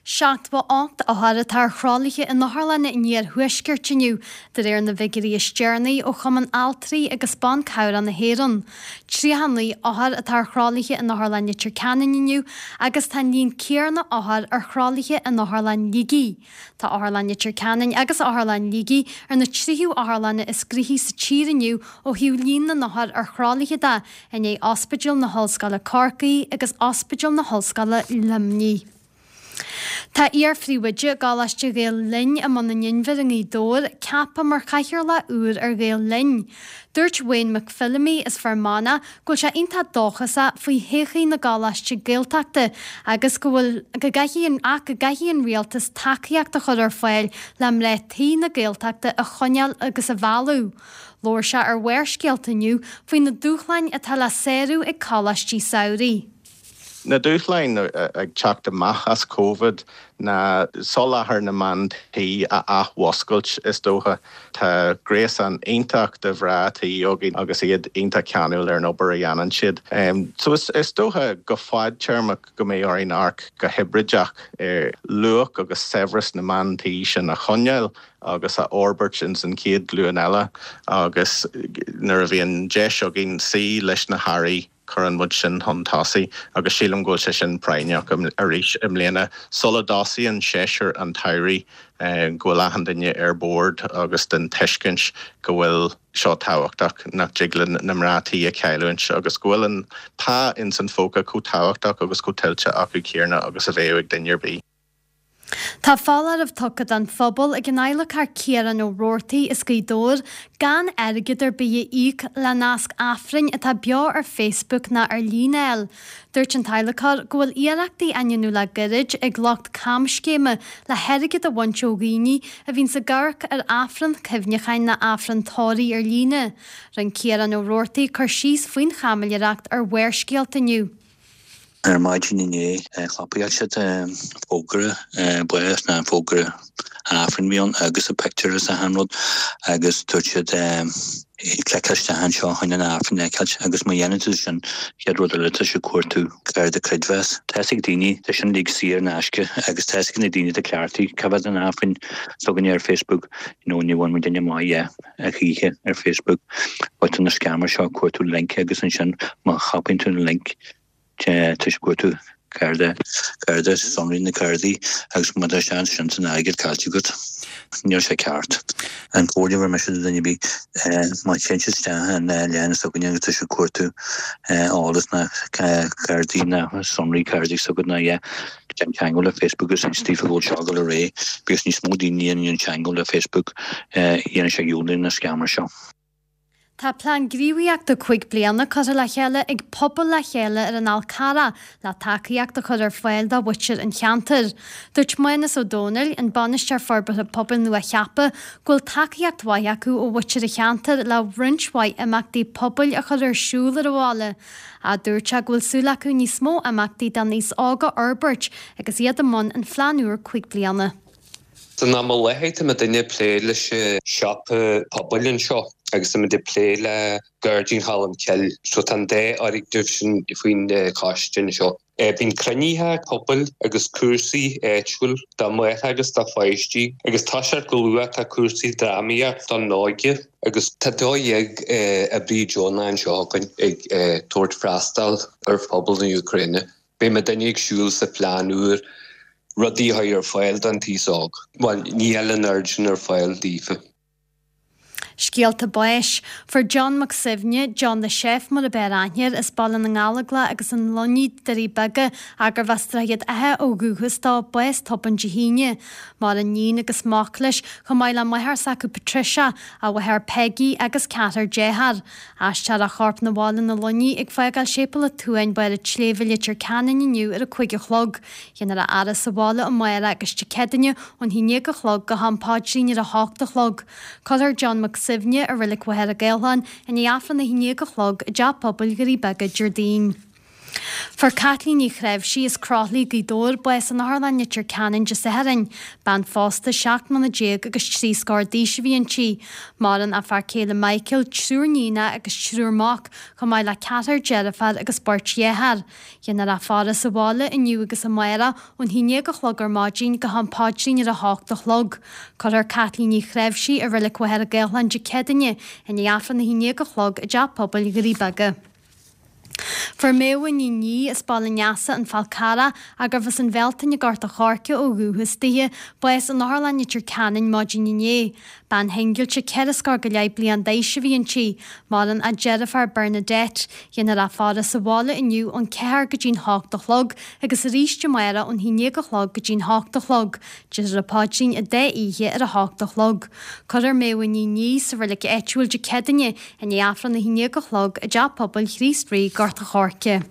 S11: Seachtó ocht othar atá ar thralaithe in otharlanna an iarthuaiscirt inniu, de réir na bhfigiúirí is deireanaí ó Chumann Altraí agus Ban Cabhrach na hÉireann. Tríocha naoi othar atá ar thralaithe in Otharlann Leitir Ceanainn inniu agus tá an líon céanna othar ar thralaithe in Otharlann Shligigh. Tá Otharlann Leitir Ceanainn agus Otharlann Shligigh ar na tríú otharlanna is gnoithí sa tír inniu ó thaobh líon na n-othar ar thralaithe de, i ndiaidh Ospidéal na hOllscoile Corcaigh agus Ospidéal na hOllscoile Luimnigh. Tá iar-phríomhoide Choláiste Ghael Linn i mBun an Inbhir i nGaoth Dobhair ceaptha mar chathaoirleach úr ar Ghael Linn. Dúirt Wayne McPhillamy as Fear Manach go bhfuil sé iontach dóchasach faoi thodhchaí na gcoláistí Gaeltachta agus go bhfuil go gcaithfidh an ach go gcaithfidh an rialtas tacaíocht a chur ar fáil le mná tí na Gaeltachta a choinneáil agus a mhealladh. Labhair sé ar Bharrscéalta inniu faoi na dúshláin atá le sárú ag coláistí samhraidh.
S13: Na dúshláin ag teacht amach as Covid ná soláthar na mban tí a athmhuscailt, is dócha. Tá gréasán iontach de mhná tí againn agus iad iontach ceanúil ar an obair a dhéanann siad. So is dócha go fadtéarmach go mbeidh orainn amharc go hibrideach ar luach agus saibhreas na mban tí sin a choinneáil agus a fhorbairt ins an chéad ghlúin eile agus nuair a bhíonn deis againn suí leis na hairí cuireann muid sin chun tosaigh agus sílim go bhfuil sé sin práinneach arís i mbliana sula dtosaíonn séasúr an tsamhraidh go bhfuil achan duine ar bord agus den tuiscint go bhfuil seo tábhachtach, nach dtig linn na mná tí a chailliúint agus go bhfuil an pá ins an phóca chomh tábhachtach agus chomh tuillte acu céanna agus a bheadh ag duine ar bith.
S11: Tá foláireamh tugtha don phobal ag an adhlacóir Ciarán Ó Roarty as Gaoth Dobhair gan airgead ar bith a íoc le nasc Aifrinn atá beo ar Facebook ná ar líne a fháil. Dúirt an t-adhlacóir go bhfuil iarrachtaí á ndéanamh le gairid ag lucht camscéime le hairgead a bhaint ó dhaoine a bhíonns ag amharc ar Aifreann cuimhneacháin ná Aifreann tórraimh ar líne. Rinne Ciarán Ó Roarty cur síos faoin chaimiléireacht ar Bharrscéalta inniu.
S14: Ar maidin inné chlapáil siad fógra báis ná fógra Aifrinn a bhí ann agus a pictiúr is achan rud agus dúirt siad cliceáil isteach anseo chun an Aifreann a fheiceáilt agus má dhéanann tú sin chéad rud eile tá siad ag cuartú cárta creidmheas. Tá fhios ag daoine, tá sin uilig saor in aisce agus tá fhios ag na daoine atá cleachtaithe cá mhéad an Aifrinn s'againne ar Facebook you know ní bhain muid duine maith dhe a choíche ar Facebook but tá na scammers seo ag cuartú link agus ansin má chlapann tú an link Tá siad ag cuartú cárta, cárta, sonraí na cártaí agus má tá seans sin san airgead caillte agat. Níl sé ceart. An chomhairle a bheir mise do dhuine ar bith, má théann siad isteach an leathanach s'againne agus tá siad ag cuartú eolas ná cártaí ná sonraí cártaí s'agat ná yeah, déan teagmháil le Facebook agus inis daofa go bhfuil seo ag dul ar aghaidh because níos mó daoine a dhéanann teagmháil le Facebook dhéanann sé dhiúltaigh na scammers seo.
S11: Tá plean gníomhaíochta cúig bliana curtha le chéile ag Pobal le Chéile ar an Fhál Carrach le tacaíocht a chur ar fáil do mhuintir an cheantair. Dúirt Mánas Ó Dónaill, an Bainisteoir Forbartha Pobail nua-cheaptha, go bhfuil tacaíocht mhaith acu ó mhuintir an cheantair le roinnt mhaith imeachtaí pobail a chur ar siúl ar an bhaile. Ach dúirt sé go bhfuil súil acu níos mó imeachtaí don aos óg a fhorbairt agus iad i mbun an phlean úr cúig bliana.
S15: San am i láthair tá muidinne ag plé leis an siopa pobail anseo agus tá muid ag plé le Gairdín Cholm Cille so tá an dá fhoirgneamh sin faoin choiste anseo. Bíonn cruinnithe pobail agus cúrsaí áitiúil do mhná agus do pháistí agus tá sé go luath tá cúrsaí drámaíocht don óige agus tá dó dhéag oibrí deonach anseo againn ag tabhairt freastal ar phobal na Úcráine. Beidh muidinne ag siúl sa phlean úr rudaí a chur ar fáil don t-aos óg. Bhuel, níl an oiread sin ar fáil daofa.
S11: Scéalta báis. Fuair John Mac Suibhne, John the Chef mar ab fhearr aithne air, as Baile na nGallóglach agus an Luinnigh, Doirí Beaga, gurbh as Droichead Átha ó dhúchas dó, bás tobann Dé hAoine. Maireann iníon agus mac leis, chomh maith le máthair s'acu Patricia, a mháthair Peggy agus ceathrar dearthár. Aistreofar a chorp 'na bhaile 'na Luinnigh ag fágáil Séipéal an tSuain, Barr an tSléibhe, Leitir Ceanainn inniu ar a cúig a chlog. Déanfar a fhaire sa bhaile amárach agus Dé Céadaoine ón haon déag a chlog go ham paidrín ar a hocht a chlog. Cuirfear John Mac Suibhne i Reilig Mhachaire Gathlán i ndiaidh Aifreann a haon déag a chlog i dTeach Pobail Dhoirí Beaga Déardaoin. Fuair Caitlín Ní Chreimhsí as Croithlí, Gaoth Dobhair, bás in Otharlann Leitir Ceanainn Dé Sathairn. Bean phósta seacht mbliana déag agus trí scór d'aois a bhí inti. Maireann a fear céile Michael, triúr níonacha agus triúr mac, chomh maith le ceathrar deirféar agus beirt dhearthár. Déanfar a faire sa bhaile inniu agus amárach ón haon déag a chlog ar maidin go ham paidrín ar a hocht a chlog. Cuirfear Caitlín Ní Chreimhsí i Reilig Mhachaire Gathlán Dé Céadaoine i ndiaidh Aifreann a haon déag a chlog i dTeach Pobail Dhoirí Beaga. Fuair Méabha Ní Niadh as Baile an Easa, An Fál Carrach, gurbh as an Bhealtaine i nGort a' Choirce ó dhúchas dithe, bás in Otharlann Leitir Ceanainn maidin inné. Bean shingilte ceithre scór go leith bliain d'aois a bhí inti. Maireann a deirfiúr Bernadette. Déanfar a faire sa bhaile inniu ón ceathair go dtí'n hocht a chlog agus arís amárach ón haon déag a chlog go dtí'n hocht a chlog. Déarfar an paidrín an dá oíche ar a hocht a chlog. Cuirfear Méabha Ní Niadh sa reilig áitiúil Dé Céadaoine i ndiaidh Aifreann a haon déag a chlog i dTeach Pobail Chríost Rí, Gort a' Choirce.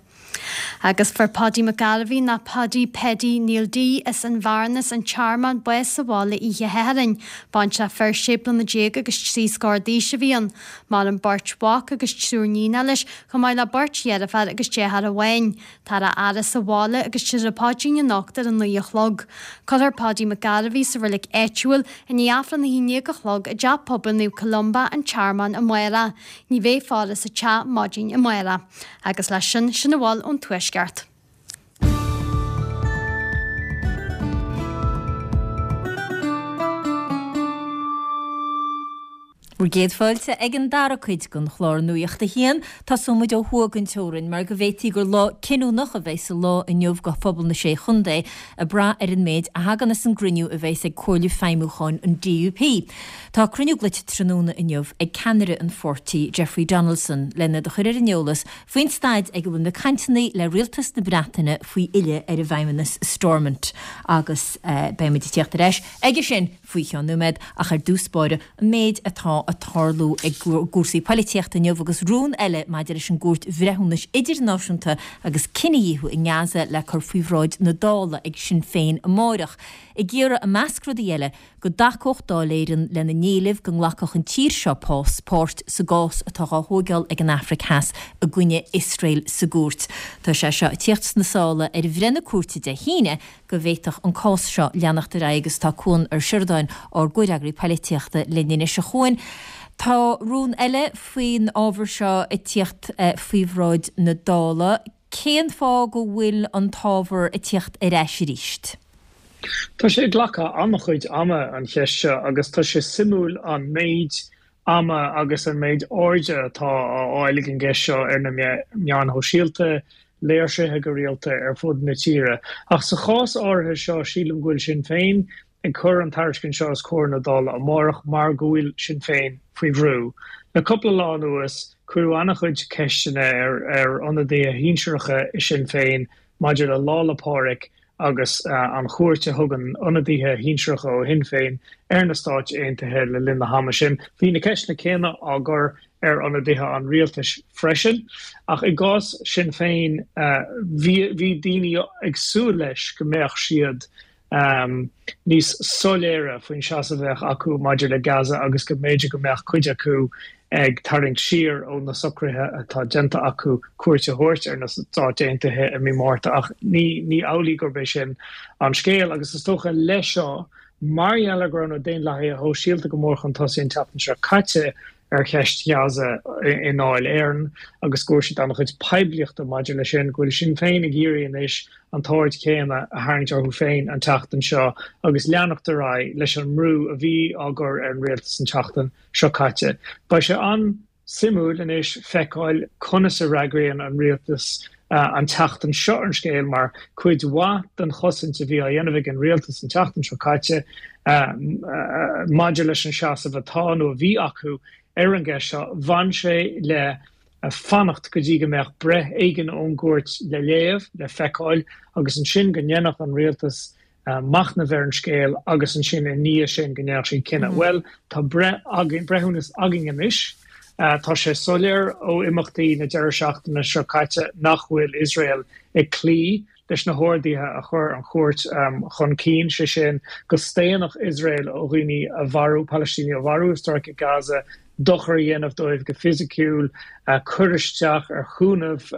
S11: Agus fuair Paudie McGarvey ná Paudie Paddy Neil D as an Bhearnas, an Tearmann, bás sa bhaile oíche Shathairn. Baintreach fir sé bliana déag agus trí scór d'aois a bhí ann. Maireann beirt mhac agus triúr níonacha leis, chomh maith le beirt dheirféar agus deartháir amháin. Táthar á fhaire sa bhaile agus déarfar an paidrín anocht ar a naoi a chlog. Cuirfear Paudie McGarvey sa reilig áitiúil i ndiaidh Aifreann a haon déag a chlog i dTeach Pobail Naomh Columba, an Tearmann, amárach. Ní bheidh faire sa teach maidin amárach. Agus leis sin, sin a bhfuil ón Tuaisceart.
S1: Bhur gcéad fáilte ag an dara cuid den chlár Nuacht a hAon. Tosóidh muid ó thuaidh den teorainn mar go bhféadfaí gur lá cinniúnach a bheidh sa lá inniu do phobal na Sé Chontae ag brath ar an méid a thagann as an gcruinniú a bheas ag Comhairle Feidhmiúcháin an DUP. Tá cruinniú glaoite tráthnóna inniu ag ceannaire an pháirtí, Jeffrey Donaldson, lena chur ar an eolas faoin staid ag a bhfuil na cainteanna le rialtas na Breataine faoi fhilleadh ar an bhFeidhmeannas Stormont agus beidh muid ag tíocht ar ais aige sin faoi cheann nóiméad ach ar dtús báire an méid atá ag tarlú i gcúrsaí poilitíochta inniu agus rún eile maidir leis an gCúirt Bhreithiúnais Idirnáisiúnta agus cinedhíothú i nGaza le cur faoi bhráid na Dála ag Sinn Féin amárach ag iarraidh i measc rudaí eile go dtacódh Dáil Éireann lena n-éileamh go nglacfadh an tír seo páirt sa gcás atá á thóigeáil ag an Afraic Theas i gcoinne Iosrael sa gcúirt. Tá sé seo ag tíocht sna sála ar bhreith na cúirte Dé hAoine go bhféadfadh an cás seo leanacht ar aghaidh agus tá Cuan Ó Seireadáin, ár gcomhfhreagraí poilitíochta, linn anois. A Chuain, tá rún eile faoin ábhar seo ag tíocht faoi bhráid na Dála. Cén fáth go bhfuil an t-ábhar ag tíocht ar ais arís?
S16: Tá sé ag glacadh an-chuid ama, an cheist seo, agus tá sé suimiúil an méid ama agus an méid airde atá á fháil ag an gceist seo ar na meáin shóisialta, léirsithe go rialta ar fud na tíre. Ach sa chás áirithe seo, sílim go bhfuil Sinn Féin ag cur an tairiscint seo os comhair na Dála amárach mar go bhfuil Sinn Féin faoi bhrú. Le cúpla lá anuas, cuireadh an-chuid ceisteanna ar ar ionadaithe shinsearacha i Sinn Féin maidir le Lá 'le Pádraig agus an chuairt a thugann ionadaithe shinsearacha ó Shinn Féin ar na Stáit Aontaithe le linn na hama sin. Bhí na ceisteanna céanna á gcur ar ionadaithe an rialtais freisin, ach i gcás Sinn Féin bhí bhí daoine ag súil leis go mbeadh siad níos soiléire faoin seasamh a bheadh acu maidir le Gaza agus go mb'fhéidir go mbeadh cuid acu ag tarraingt siar ó na socruithe atá déanta acu cuairt a thabhairt ar na Stáit Aontaithe i mí Márta ach ní ní amhlaidh gurb é sin an scéal agus is dócha leis seo mar gheall ar go raibh na Daonlathaithe Shóisialta go mór chun tosaigh an tseachtain seo caite ar cheist Ghaza i nDáil Éireann agus go bhfuair siad an-chuid poiblíochta maidir leis sin, go bhfuil Sinn Féin ag iarraidh anois an t-aird chéanna a tharraingt orthu féin an tseachtain seo agus leanacht ar aghaidh leis an mbrú a bhí á gcur ar an rialtas an tseachtain seo caite. Beidh sé an. Suimiúil anois feiceáil conas a fhreagraíonn an rialtas an tseachtain seo ar an scéal mar cuid mhaith den chosaint a bhí á dhéanamh ag an rialtas an tseachtain seo caite maidir leis an seasamh atá nó a bhí acu ar an gceist seo, bhain sé le fanacht go dtí go mbeadh breith éigin ón gcúirt le léamh, le feiceáil agus ansin go ndéanfadh an rialtas machnamh ar an scéal agus ansin i ndiaidh sin go ndéanfadh siad cinneadh. Bhuel, tá breith againn, breithiúnas againn anois. Tá sé soiléir ó imeachtaí na deireadh seachtaine seo caite nach bhfuil Iosrael ag cloí leis na horduithe a chuir an chúirt chun cinn, sé sin go staonfadh Iosrael ó dhaoine a mharú, Palaistínigh a mharú i Stráice Gaza, dochar a dhéanamh dóibh go fisiciúil, cur isteach ar chúnamh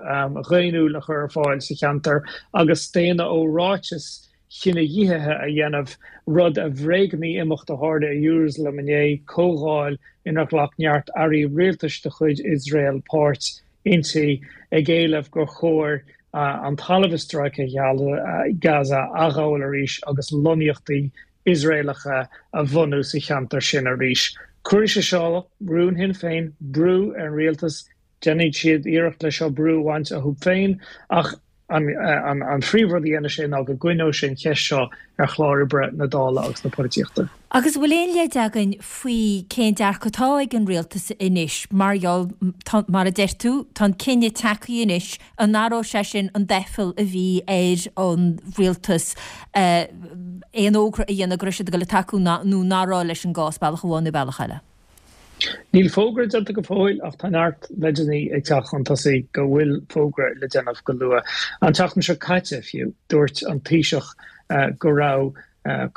S16: dhaonnúil a chur ar fáil sa cheantar agus staonadh ó ráitis chinedhíothaithe a dhéanamh, rud a bhréagnaigh imeacht a tharla i Iarúsailéim inné, comhdháil inar ghlac neart airí rialtais de chuid Iosrael páirt inti, ag éileamh gur chóir an talamh i Stráice Gaza a athghabháil arís agus lonnaíochtaí Iosraelacha a bhunú sa cheantar sin arís. Cuirfidh sé seo, rún Shinn Féin, brú ar an rialtas Déanfaidh siad iarracht leis seo brú a bhaint uathu féin ach an phríomhrud a dhéanfaidh sé ná go gcoinneoidh sé an cheist seo ar chlár oibre na Dála agus na polaitíochta.
S1: Agus an bhfuil aon leid againn faoi cén dearcadh atá ag an rialtas anois mar gheall, mar a deir tú, tá an cinneadh tagtha anois, an athróidh sé sin an doicheall a bhí ar an rialtas aon fhógra a dhéanamh go raibh siad ag dul ag tacú nó nach raibh leis an gcás, bealach amháin nó bealach eile?
S16: Níl fógra déanta go fóill ach tá neart leideanna ag teacht chun tosaigh go bhfuil fógra le déanamh go luath. An tseachtain seo caite fiú, dúirt an Taoiseach go raibh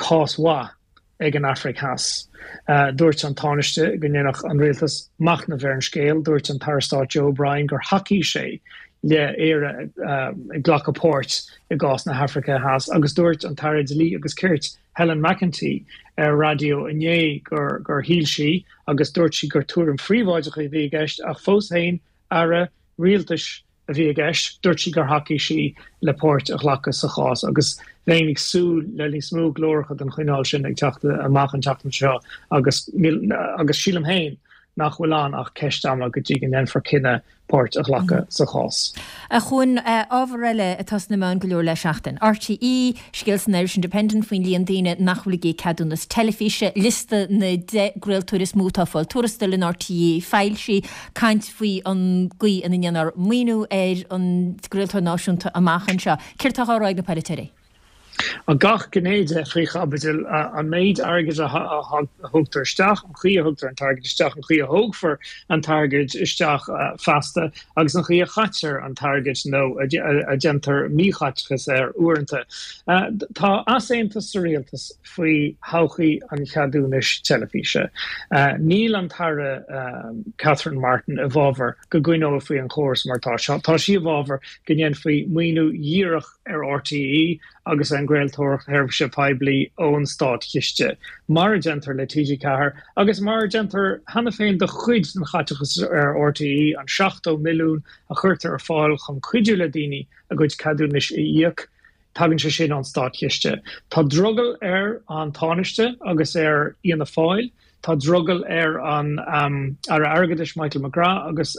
S16: cás mhaith ag an Afraic Theas. Dúirt an Tánaiste go ndéanfadh an rialtas machnamh ar an scéal. Dúirt an tAire Stáit Joe O'Brien gur thacaigh sé le Éire ag glacadh páirt i gcás na hAfraice Theas agus dúirt an tAire Dlí agus Cirt Helen McEntee ar raidió inné gur gur shíl sí, agus dúirt sí gur tuairim phríobháideach a bhí i gceist ach fós féin, aire rialtais a bhí i gceist, dúirt sí gur thacaigh sí le páirt a ghlacadh sa chás agus bheinn ag súil le níos mó glóracha den chineál sin ag teacht amach an tseachtain seo agus agus sílim féin nach bhfuil ann ach ceist ama go dtí go ndéanfar cinneadh páirt a ghlacadh sa chás.
S1: A Chuain, ábhar eile atá sna meáin go leor le seachtain. RTÉ, scéal san Irish Independent faoin líon daoine nach bhfuil ag íoc ceadúnas teilifíse, liosta na deich gcraoltóir is mó atá ag fáil tuarastail in RTÉ foilsithe, caint faoi an gcaoi ina ndéanfar maoiniú ar an gcraoltóir náisiúnta amach anseo. Céard atá á rá ag na polaiteoirí?
S16: Gach gné de faoi chaibidil, an méid airgid a thugtar isteach, an chaoi a thugtar an t-airgead isteach, an chaoi a thógfar an t-airgead isteach feasta agus an chaoi a chaitear an t-airgead nó a déantar míchaiteachas air uaireanta. Tá easaontas sa rialtas faoi thodhchaí an cheadúnais teilifíse. Níl an tAire Catherine Martin i bhfabhar go gcoinneofaí an córas mar atá. Tá sí i bhfabhar go ndéanfaí maoiniú dhíreach ar RTÉ agus ar an gcraoltóireacht sheirbhíse poiblí ón státchiste, mar a déantar le T G ceathair agus mar a déantar cheana féin do chuid den chaiteachas ar RTÉ, an seachtó milliún a chuirtear ar fáil chun cuidiú le daoine a gcuid ceadúnais a íoc, tagann sé sin ón státchiste. Tá drogall ar an Tánaiste agus ar Fhianna Fáil, tá drogall ar an Aire Airgeadais Michael McGrath agus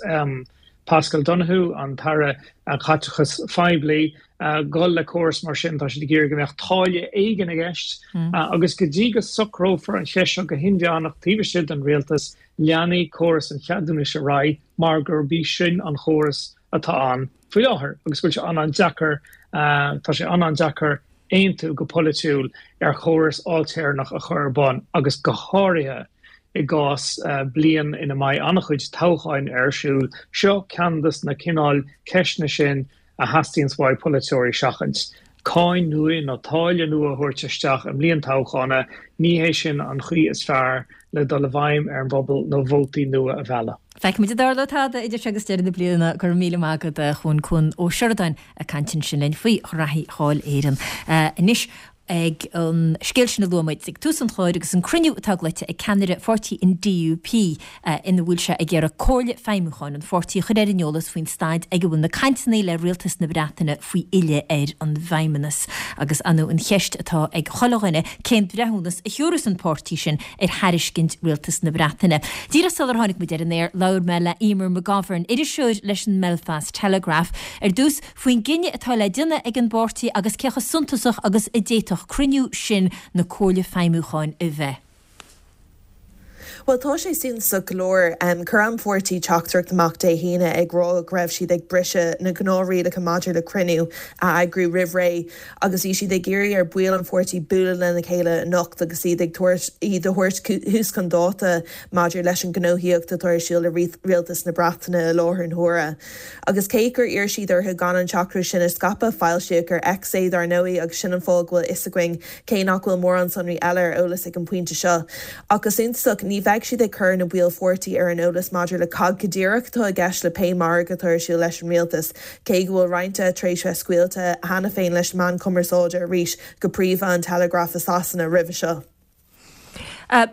S16: Paschal Donohoe, an tAire Caiteachais Phoiblí, dul le córas mar sin. Tá siad ag iarraidh go mbeadh táille éigin i gceist agus go dtí go socrófar an cheist seo go hinmheánach taobh istigh den rialtas, leanfaidh córas an cheadúnais ar aghaidh mar gurb í sin an chóras atá ann faoi láthair agus go bhfuil sé an-an-deacair, tá sé an-an-deacair aontú go polaitiúil ar chóras ailtéarnach a chur ar bun agus go háirithe i gcás bliain ina mbeidh an-chuid toghcháin ar siúl. Seo ceann de na cineáil ceisteanna sin a theastaíonns uaidh polaiteoirí seachaint. Cáin nua nó táille nua a thabhairt isteach i mbliain toghchána, ní hé sin an chaoi is fearr le dul i bhfeidhm ar an bpobal nó vótaí nua a mhealladh.
S1: Feicfimid an dtarlóidh tada idir seo agus deireadh na bliana. Go raibh míle maith agat, a Chuain, Cuan Ó Seireadáin ag caint ansin linn faoi ghraithí Dháil Éireann. Anois, ag an scéal sin a luaigh muid ag tús an chláir agus an cruinniú atá glaoite ag ceannaire pháirtí an DUP ina bhfuil sé ag iarraidh Comhairle Feidhmiúcháin an pháirtí a chur ar an eolas faoin staid ag a bhfuil na cainteanna le Rialtas na Breataine faoi fhilleadh ar an bhFeidhmeannas. Agus ar ndóigh an cheist atá ag chuile dhuine cén breithiúnas a thiúrfas an páirtí sin ar thairiscint Rialtas na Breataine. Díreach sular tháinig muid ar an aer labhair mé le Eimear McGovern, iriseoir leis an mBelfast Telegraph, ar dtús faoin gcinneadh atá le déanamh ag an bpáirtí agus cé chomh suntasach agus a d'fhéadfadh cruinniú sin na Comhairle Feidhmiúcháin a bheith.
S17: Bhuel, tá sé suntasach go leor. Chuir an pháirtí teachtaireacht amach Dé hAoine ag rá go raibh siad ag briseadh na gnáthrialacha maidir le cruinniú a eagrú roimh ré agus bhí siad ag iarraidh ar bhaill an pháirtí bualadh lena chéile anocht agus iad ag tabhairt iad a thabhairt thuas chun dáta maidir leis an ngnóthaíocht atá ar siúl le rialtas na Breataine i láthair na huaire. Agus cé gur iarr siad orthu gan an teachtaireacht sin a scaipeadh, foilsíodh ar X é dar ndóigh agus sin an fáth go bhfuil fhios againn cé nach bhfuil mórán sonraí eile ar eolas ag an bpointe seo. Ach go suntasach, ní bheidh siad ag cur na baill pháirtí ar an eolas maidir le cad go díreach atá i gceist le pé margadh atá ar siúl leis an rialtas, cé go bhfuil roinnt de tar éis bheith scaoilte cheana féin leis na meáin chumarsáide arís, go príomha an Telegraph i Sasana, roimhe seo.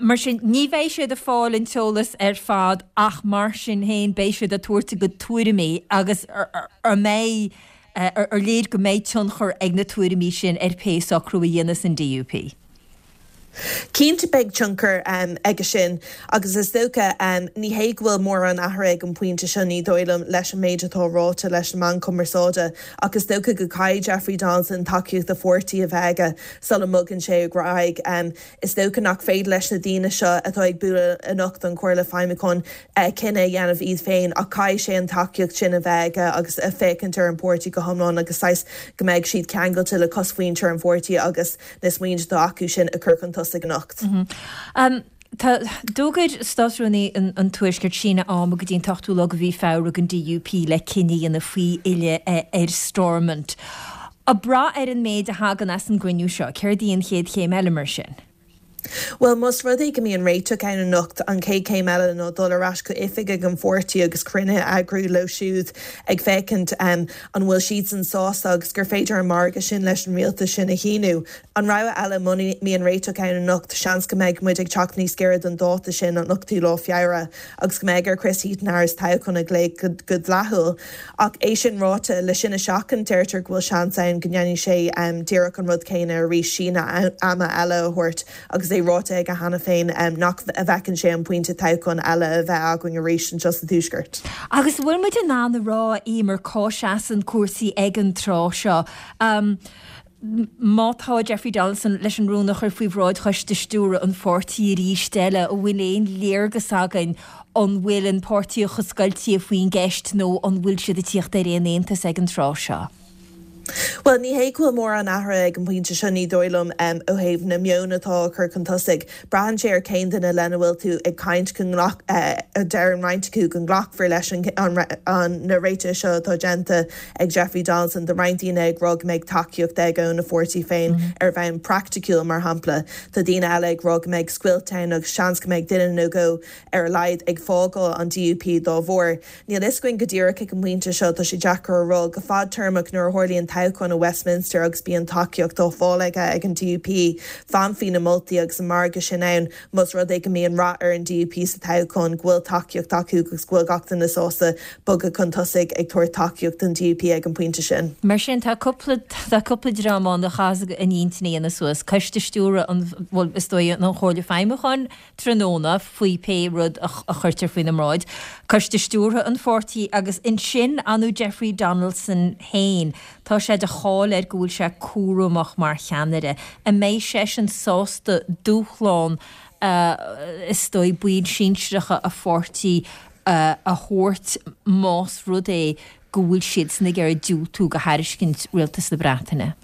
S1: Mar sin, ní bheidh siad ag fáil an t-eolas ar fad ach mar sin féin beidh siad ag tabhairt a gcuid tuairimí agus ar mbeidh, ar léir go mbeidh tionchar ag na tuairimí sin ar pé socrú a dhéanfas an DUP?
S17: Cinnte beidh tionchar aige sin agus is dócha, ní hé go bhfuil mórán athraithe ag an bpointe seo, ní dóigh liom, leis an méid atá ráite leis na meáin chumarsáide ach is dócha go gcaithfidh Jeffrey Donaldson tacaíocht a pháirtí a bheith aige sula mbogann sé ar aghaidh. Is dócha nach féidir leis na daoine seo atá ag bualadh anocht don Chomhairle Feidhmiúcháin cinneadh a dhéanamh iad féin ach caithfidh sé an tacaíocht sin a bheith aige agus féachaint ar an bpáirtí go hiomlán agus saghas go mbeidh siad ceangailte le cosmhuintir an pháirtí agus na smaointe atá acu sin a chur chun tosaigh anocht.
S1: Tá, d'fhógair Státrúnaí an Tuaiscirt síneadh ama go dtí an t-ochtú lá de mhí Feabhra don DUP le cinneadh a dhéanamh faoi fhilleadh ar Stormont. Ag brath ar an méid a thagann as an gcruinniú seo, céard í an chéad chéim eile mar sin?
S17: Bhuel, más rud é go mbíonn réiteach ann anocht, an chéad chéim eile ná dul ar ais go oifig ag an pháirtí agus cruinnithe a eagrú leo siúd ag féachaint an bhfuil siadsan sásta agus gur féidir an margadh sin leis an rialtas sin a shíniú. An rogha eile, muna mbíonn réiteach ann anocht, seans go mbeidh muid ag teacht níos gaire don dáta sin, an ochtú lá Feabhra, agus go mbeidh ar Chris Heaton-Harris toghchán a ghlaoch go dleathúil. Ach é sin ráite, le sin a sheachaint, deirtear go bhfuil seans ann go ndéanfaidh sé díreach an rud céanna arís, síneadh ama eile a thabhairt agus é ráite aige cheana féin nach bhfeiceann sé an pointe toghchán eile a bheith againn arís anseo sa Tuaisceart.
S1: Agus an bhfuil muid in ann a rá, Eimear, cá seasann cúrsaí ag an tráth seo? Má tá Jeffrey Donaldson leis an rún a chur faoi bhráid Choiste Stiúrtha an pháirtí arís eile, an bhfuil aon léargas againn an bhfuil an páirtí chomh scoilte faoin gceist nó an bhfuil siad ag tíocht ar aon aontas ag an tráth seo?
S17: Bhuel, ní hé go bhfuil mórán athraithe ag an bpointe seo, ní dóigh liom, ó thaobh na meon atá á chur chun tosaigh. Braitheann sé ar cén duine lena bhfuil tú ag caint go nglac, deireann roinnt acu go nglacfar leis an na réitithe seo atá déanta ag Jeffrey Donaldson. Tá roinnt daoine ag rá go mbeidh tacaíocht aige óna pháirtí féin ar bhonn praiticiúil, mar shampla. Tá daoine eile ag rá go mbeidh scoilt ann agus seans go mbeidh duine nó dhó ar a laghad ag fágáil an DUP dá bharr. Níl fhios againn go díreach ag an bpointe seo, tá sé deacair a rá. Go fadtéarmach, nuair a tharlaíonn toghchán i Westminster agus bíonn tacaíocht á fáil aige ag an DUP, fanfaidh na moltaí agus an margadh sin ann más rud é go mbíonn rath ar an DUP sa toghchán, go bhfuil tacaíocht acu agus go bhfuil gach duine sásta bogadh chun tosaigh ag tabhairt tacaíocht don DUP ag an bpointe sin.
S1: Mar sin, tá cúpla, tá cúpla dream ann a chaithfeas a n-intinn a dhéanamh suas, Coiste Stiúrtha an, bhuel, is dóigh, an Chomhairle Feidhmiúcháin, tráthnóna faoi pé rud a chuirtear faoina mbráid, Coiste Stiúrtha an pháirtí agus ansin ar ndóigh Jeffrey Donaldson féin. Tá sé de cháil air go bhfuil sé cúramach mar cheannaire. An mbeidh seisean sásta dúshlán is dóigh baill sinsearacha a pháirtí a thabhairt más rud é go bhfuil siadsan ag iarraidh diúltú do thairiscint Rialtas na Breataine?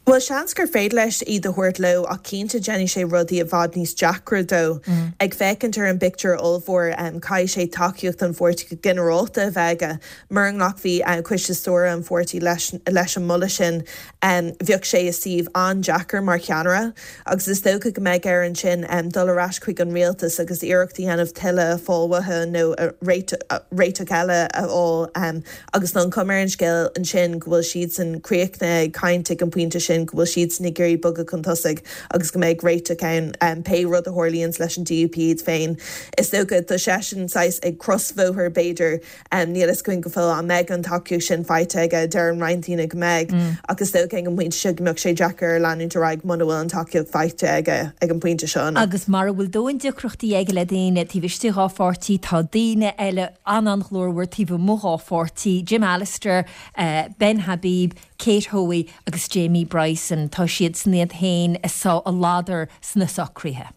S17: Bhuel, seans gur féidir leis iad a thabhairt leo ach cinnte déanfaidh sé rudaí i bhfad níos deacra dó. Ag féachaint ar an bpictiúr ollmhór, caithfidh sé tacaíocht an pháirtí go ginearálta a bheith aige. Mura nglacfaidh Coiste Stiúrtha an pháirtí leis leis an moladh sin, bheadh sé i suíomh an-deacair mar cheannaire agus is dócha go mbeidh air ansin dul ar ais chuig an rialtas agus iarracht a dhéanamh tuilleadh a fháil uathu nó réiteach eile a fháil. Agus tá an chuma ar an scéal ansin go bhfuil siadsan críochnaithe ag caint ag an bpointe sin. sin go bhfuil siadsan ag iarraidh bogadh chun tosaigh agus go mbeidh réiteach ann pé rud a tharlaíonns leis an D U P iad féin. Is dócha tá seisean saghas ag crosbhóthar b'fhéidir, níl a fhios againn go fóill an mbeidh an tacaíocht sin faighte aige, deireann roinnt daoine go mbeidh ach is dócha ag an bpointe seo go mbeadh sé deacair air leanúint ar aghaidh muna bhfuil an tacaíocht faighte aige ag an bpointe seo.
S1: Agus mara bhfuil dóthain deacrachtaí aige le daoine taobh istigh dhá pháirtí, tá daoine eile an-an-ghlórmhar taobh amuigh dhá pháirtí, Jim Allister, Ben Habib, Kate Hoey agus Jamie Bryson. Tá siadsan iad féin ag sá a ladar sna socruithe.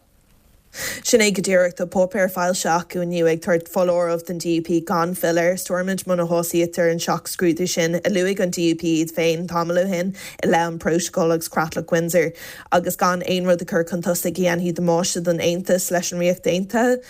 S17: Sin é go díreach. Tá páipéar foilsithe acu inniu ag tabhairt foláireamh don D U P gan filleadh ar Stormont muna shásaítear an seacht scrúdú sin a luaigh an D U P iad féin tamall ó shin i leith an Prótacal agus Creatlach Windsor agus gan aon rud a chur chun tosaigh a dhéanfaidh damáiste don Aontas leis an Ríocht Aontaithe.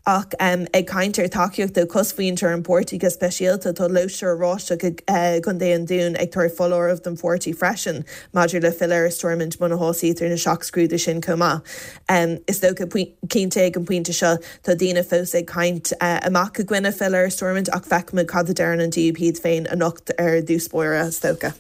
S17: Ach ag caint ar tacaíocht ó chosmhuintir an pháirtí go speisialta, tá Lóiste Oráisteach i gContae an Dúin ag tabhairt foláireamh don pháirtí freisin maidir le filleadh ar Stormont muna shásaítear na seacht scrúdú sin chomh maith. Is dócha, cinnte ag an bpointe seo, tá daoine fós ag caint amach i gcoinne filleadh ar Stormont ach feicfimid cad a deireann an D U P iad féin anocht ar dtús báire, is dócha.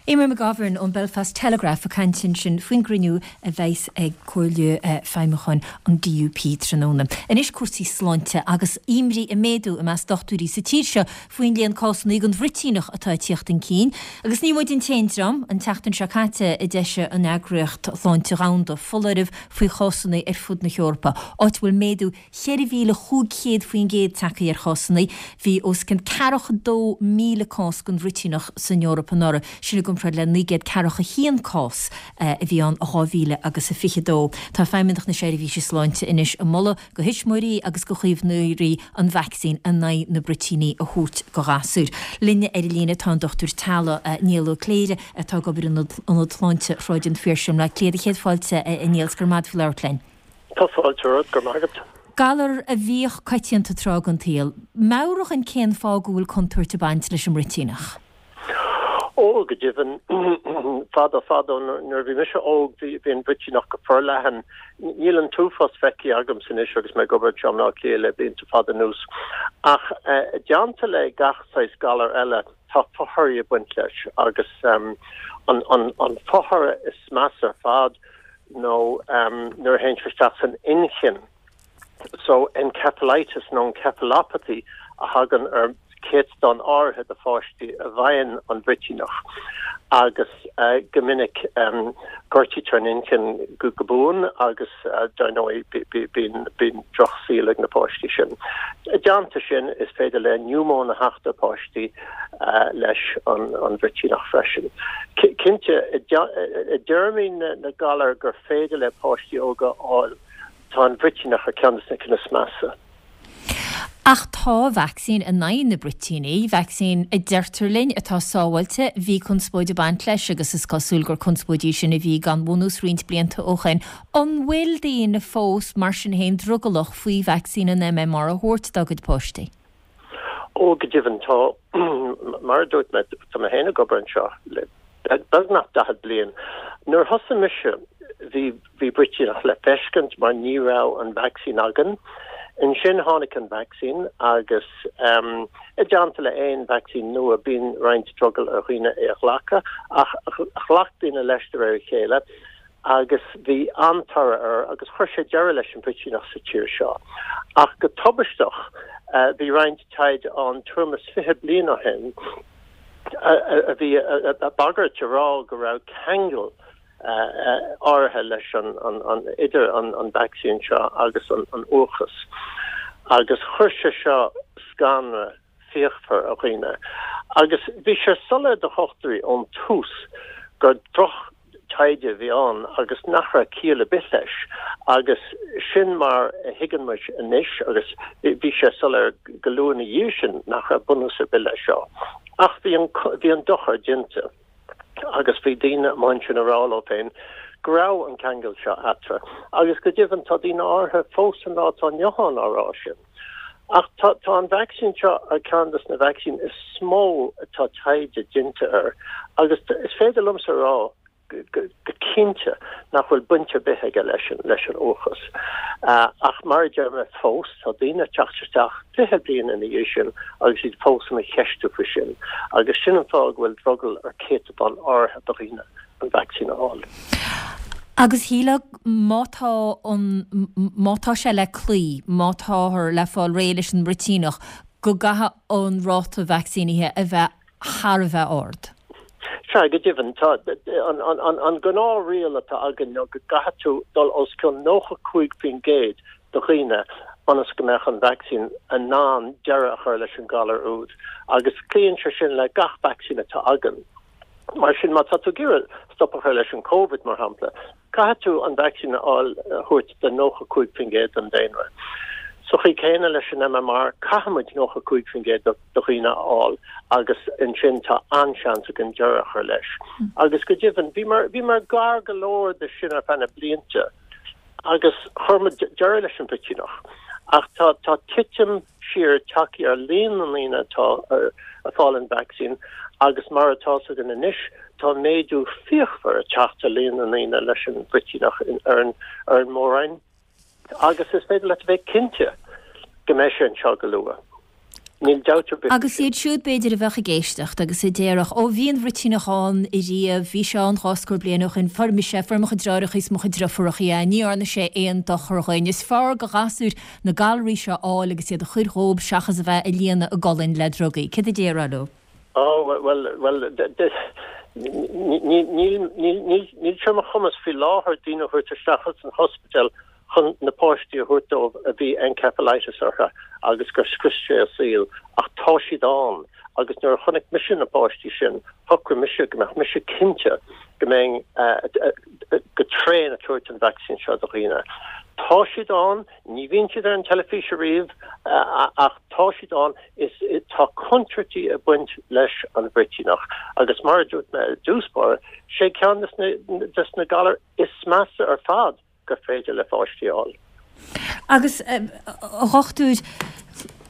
S1: Eimear McGovern ón Belfast Telegraph ag caint ansin faoin gcruinniú a bheas ag Comhairle Feidhmiúcháin an D U P tráthnóna. Anois cúrsaí sláinte agus imní ag méadú i measc dochtúirí sa tír seo faoin líon cásanna den bhruitíneach atá ag tíocht chun cinn. Agus ní muid an t-aon dream, an tseachtain seo caite a d'eisigh an Eagraíocht Shláinte Dhomhanda foláireamh faoi chásanna ar fud na hEorpa, áit a bhfuil méadú cheithre mhíle chúig chéad faoin gcéad tagtha ar chásanna. Bhí os cionn ceathracha dó míle cás den bhruitíneach san Eoraip anuraidh, sin i gcomparáid le naoi gcéad ceathracha haon cás a bhí ann i dhá mhíle agus a fiche dó. Tá Feidhmeannacht na Seirbhíse Sláinte anois ag moladh do thuismitheoirí agus do chaomhnóirí an vacsaín in aghaidh na bruitíní a thabhairt do ghasúir. Linn ar an líne tá an Dochtúir Teaghlaigh Niall Ó Cléire atá ag obair in Ionad Sláinte Shráid an Phiarsaigh i mBleá Cliath. Céad fáilte a Niall, 's go raibh maith agat faoi labhairt linn.
S18: Tá fáilte romhat, go raibh maith agat.
S1: Galar a bhíodh coitianta tráth den tsaol. Meabhraigh dhúinn cén fáth go bhfuil contúirt ag baint leis an mbruitíneach.
S18: Ó, go deimhin, fadó fadó nuair a bhí mise óg bhí an bhruitíneach go forleathan. Níl an t-uafás feicthe agamsa anois agus mé ag obair anseo i mBleá Cliath le blianta fada anuas. Ach i dteannta le gach saghas galar eile, tá fothorthaí ag baint leis agus an fothoradh is measa ar fad nó nuair a théann sé isteach san inchinn. So encephalitis nó encephalopathy a thagann ar céatadán áirithe de pháistí a bhfaigheann an bhruitíneach agus go minic gortaítear an inchinn go buan agus dar ndóigh bíonn drochshaol ag na páistí sin. I dteannta sin is féidir le niúmóin a theacht ar pháistí leis an bhruitíneach freisin. Cinnte, i dtéarmaí na galar gur féidir le páistí óga a fháil, tá an bhruitíneach ar ceann de na cinn is measa.
S1: Ach tá vacsaín in aghaidh na bruitíní, vacsaín a deirtear linn atá sábháilte, bhí conspóid ag baint leis agus is cosúil gur conspóid í sin a bhí gan bhunús roinnt blianta ó shin. An bhfuil daoine fós, mar sin féin, drogallach faoi vacsaín an M M R a thabhairt dá gcuid páistí?
S18: Ó, go deimhin, tá. Mar a dúirt mé, tá mé féin ag obair anseo le beagnach daichead bliain. Nuair a thosaigh mise, bhí bhí bruitíneach le feiscint mar ní raibh an vacsaín againn. Ansin tháinig an vacsaín agus i dteannta le aon vacsaín nua bíonn roinnt drogall ar dhaoine é a ghlacadh ach ghlac daoine leis de réir a chéile agus bhí an-toradh air agus chuir sé deireadh leis an bhruitíneach sa tír seo. Ach go tubaisteach bhí roinnt taighde ann tuairim is fiche bliain ó shin a bhí ag bagairt a rá go raibh ceangal áirithe leis an idir an vacsaín seo agus an uathachas. Agus chuir sé seo scanradh fíochmhar ar dhaoine. Agus bhí sé soiléir do dhochtúirí ón tús gur droch-taighde a bhí ann agus nach raibh ciall ar bith leis. Agus sin mar a thuigeann muid anois agus bhí sé soiléir go luath ina dhiaidh sin nach raibh bunús ar bith leis seo. Ach bhí an dochar déanta. Agus bhí daoine amuigh ansin ag rá leo féin go raibh an ceangal seo eatarthu. Agus go deimhin tá daoine áirithe fós an lá atá inniu ann á rá sin. Ach tá tá an vacsaín seo ar ceann de na vacsaín is mó atá taighde déanta air. Agus is féidir liomsa a rá go cinnte nach bhfuil baint ar bith aige leis an leis an uathachas. Ach mar a deir mé fós, tá daoine ag teacht isteach fiche bliain ina dhiaidh sin agus iad fós ina cheistiú faoi sin. Agus sin an fáth go bhfuil drogall ar céatadán áirithe de dhaoine an vacsaín a fháil.
S1: Agus shílfeá má tá an, má tá sé le cloí, má táthar le fáil réidh leis an mbruitíneach, go gcaithfidh an ráta vacsaínithe a bheith thar a bheith ard.
S18: Sea, go deimhin, tá an gnáthriail atá againn ná go gcaithfidh tú dul os cionn nócha cúig faoin gcéad de dhaoine ionas go mbeadh an vacsaín in ann deireadh a chur leis an galar úd, agus cloíonn sé sin le gach vacsaín atá againn. Mar sin, má tá tú ag iarraidh stop a chur leis an Covid, mar shampla, caithfidh tú an vacsaín a fháil, a thabhairt do nócha cúig faoin gcéad den daonra. Sa chaoi chéanna leis an MMR, caithfidh muid nócha cúig faoin gcéad de dhaoine a fháil agus ansin tá an-seans againn deireadh a chur leis. Agus go deimhin, bhíomar, bhíomar gar go leor de sin ar feadh na blianta agus chuir muid deireadh leis an bhruitíneach. Ach tá, tá titim siar tagtha ar líon na ndaoine atá ag fáil an vacsaín agus mar atá a fhios againn anois, tá méadú fíochmhar ag teacht ar líon na ndaoine leis an bhruitíneach ar an, ar an Mór-Roinn. Agus is féidir leat a bheith cinnte go mbeidh sé anseo go luath. Níl dabht ar bith faoi
S1: Agus
S18: sin.
S1: iad siúd, b'fhéidir, a bheadh ag éisteacht agus a déarfadh, 'Ó, bhí an bhruitíneach ann ariamh, bhí sé ann dhá scór bliain ó shin, fuair mise, fuair mo chuid deartháireacha is mo chuid deirfiúracha é, ní dhearna sé aon dochar dhuinn. Is fearr do ghasúir na galraí seo a fháil agus iad a chur dhób seachas a bheith ag líonadh a gcolainn le drugaí. Céard a déarfá leo?
S18: Ó, bhuel, bhuel, níl, níl, níl sé ar mo chumas faoi láthair daoine a thabhairt isteach as an ospidéal chun na páistí a thabhairt dóibh a bhí encephalitis orthu agus gur scrios sé a saol, ach tá siad ann agus nuair a chonaic mise na páistí sin, shocraigh mise go mbeadh mise cinnte go mbeinn go tréan ag tabhairt an vacsaín seo do dhaoine. Tá siad ann, ní bhíonn siad ar an teilifís ariamh ach tá siad ann, is tá contúirtí ag baint leis an bhruitíneach agus mar a dúirt mé i dtús báire, sé ceann des na galair is measa ar fad. gur féidir le pháistí a fháil.
S1: Agus, a dhochtúir,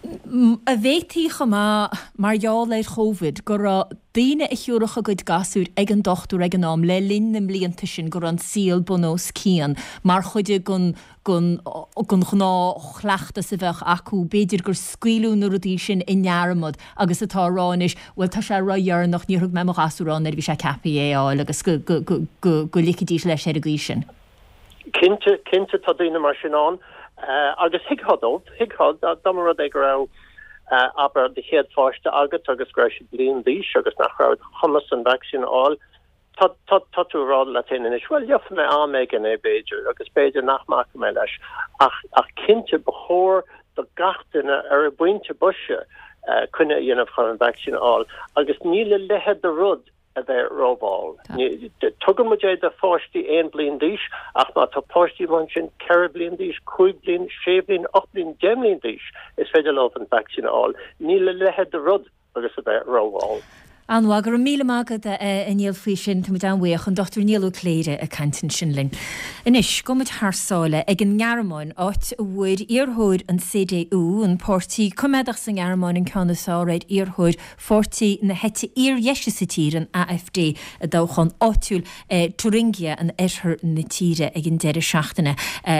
S1: an bhféadfaí chomh maith, mar gheall ar Chovid, go raibh daoine a thiúrfadh a gcuid gasúir ag an dochtúir ag an am, le linn na mblianta sin, go raibh an saol bun os cionn, mar chuid den den ghnáthchleachtas a bheadh acu, b'fhéidir gur scaoileadh na rudaí sin i ndearmad agus atá a rá anois, bhuel tá sé ródheireanach, níor thug mé mo ghasúr ann nuair a bhí sé ceaptha é a fháil agus go go go go ligfidís leis ar an gcaoi sin.
S18: Cinnte, cinnte tá daoine mar sin ann agus thuigfeá dóibh, thuigfeá dá mba rud é go raibh, abair, do chéad pháiste agat agus go raibh siad bliain d'aois agus nach raibh ar do chumas an vacsaín a fháil, tá, tá, tá tú ag rá leat féin anois, bhuel, gheobhaidh mé am éigin é b'fhéidir agus b'fhéidir nach mbacfaidh mé leis ach, ach cinnte ba chóir do gach duine ar a bpointe boise coinne a dhéanamh chun an vacsaín a fháil agus níl a leithéid de rud a bheith rómhall. Tugann muid é do pháistí aon bliain d'aois ach má tá páistí amuigh ansin ceithre bliain d'aois, cúig bliain, sé bhliain, ocht bliain, deich mbliain d'aois, is féidir leo an vacsaín a fháil. Níl a leithéid de rud agus a bheith rómhall.
S1: An-mhaith. Go raibh míle maith agat, a Niall, faoi sin. Tá muid an-bhuíoch. An Dochtúir Niall Ó Cléire ag caint ansin linn. Anois, gabhfaidh muid thar sáile ag an nGearmáin, áit a bhfuair iarrthóir an CDU, an páirtí coimeádach sa nGearmáin, an ceann is fearr ar iarrthóir pháirtí na heite fhíordheise sa tír, an AfD, i dtoghchán áitiúil i Thuringia in oirthear na tíre ag an deireadh seachtaine.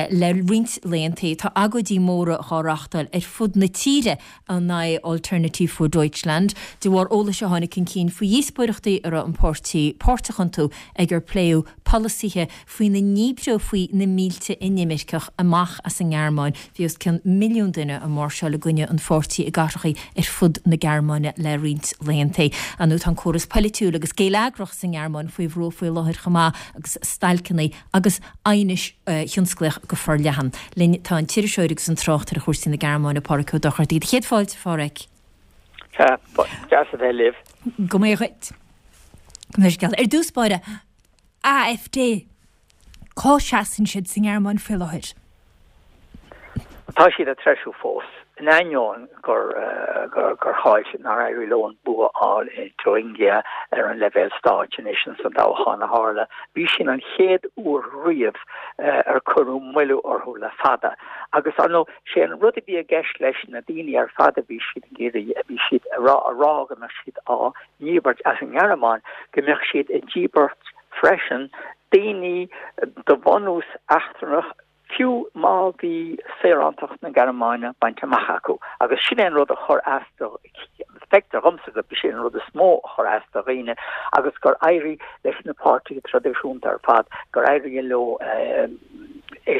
S1: Le roinnt laethanta, tá agóidí móra dhá reáchtáil ar fud na tíre in aghaidh Alternative für Deutschland, de bharr eolais a tháinig chun cinn faoi dhíospóireachtaí a raibh an páirtí páirteach iontu ag ar pléadh polasaithe faoina ndíbreofaí na mílte inimirceach amach as an nGearmáin. Bhí os cionn milliún duine ag máirseáil i gcoinne an pháirtí i gcathracha ar fud na Gearmáine le roinnt laethanta. Ar ndóigh tá an córas polaitiúil agus geilleagrach sa nGearmáin faoi bhrú faoi láthair chomh maith agus stailceanna agus aighnis thionsclaíoch go forleathan. Linn tá an t-iriseoir agus an tráchtaire ar chúrsaí na Gearmáine, Páraic Ó Dochartaigh. Céad fáilte, a Pháraic.
S19: Sea, deas a bheith libh.
S1: Go mbeidh dhuit. Go mbeidh scéal. Ar dtús báire, AfD, cá seasann siad sa nGearmáin faoi láthair?
S19: Tá siad ag treisiú fós, in ainneoin gur gur chaill siad, nár éirigh leo an bua a fháil i Thuringia ar an leibhéal stáit anois ins an dtoghchán a tharla. Bhí sin an chéad uair riamh ar cuireadh moilliú orthu le fada. Agus, ar ndóigh, sé an rud a bhí i gceist leis na daoine ar fad a bhí siad ag iarraidh, a bhí siad a rá, a rá go mbeadh siad á ndíbirt as an nGearmáin, go mbeadh siad ag díbirt freisin daoine de bhunús eachtrannach, fiú má bhí saorántacht na Gearmáine bainte amach acu, agus sin é an rud a chuir as do Feictear dhomsa gurb é sin an rud is mó a chuir as do dhaoine agus gur éirigh leis na páirtithe traidisiúnta ar fad, gur éirigh leo é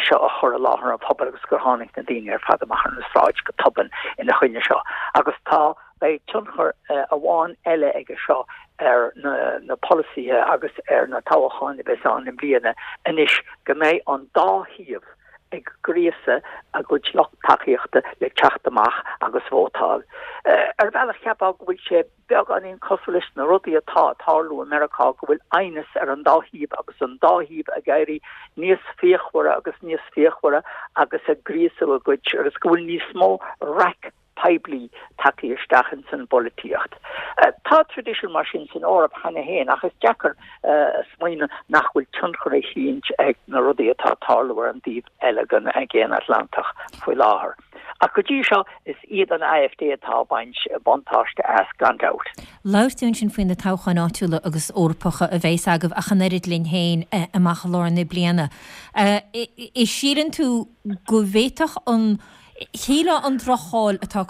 S19: seo a chur i láthair an phobail agus gur tháinig na daoine ar fad amach ar an sráid go tobann ina choinne seo. Agus tá beidh tionchar amháin eile aige seo ar na na polasaithe agus ar na toghcháin a bheas ann i mbliana anois go mbeidh an dá thaobh ag gríosadh a gcuid lucht tacaíochta le teacht amach agus vótáil. Ar bhealach cheapfá go bhfuil sé beagáinín cosúil leis na rudaí atá ag tarlú i Meiriceá, go bhfuil aighneas ar an dá thaobh agus an dá thaobh ag éirí níos fíochmhaire agus níos fíochmhaire agus ag gríosadh a gcuid agus go bhfuil níos mó raic poiblí tagtha isteach ins an bpolaitíocht. Tá traidisiún mar sin san Eoraip cheana féin ach is deacair smaoineamh nach bhfuil tionchar eicínt ag na rudaí atá ag tarlú ar an dtaobh eile den Aigéan Atlantach faoi láthair. Ach go dtí seo is iad an AfD atá ag baint buntáiste as, gan dabht.
S1: Labhair tú ansin faoi na toghcháin áitiúla agus Eorpacha a bheas agaibh ach an oiread linn féin amach i lár na bliana. An síleann tú go bhféadfadh an Shílfeá an droch-cháil atá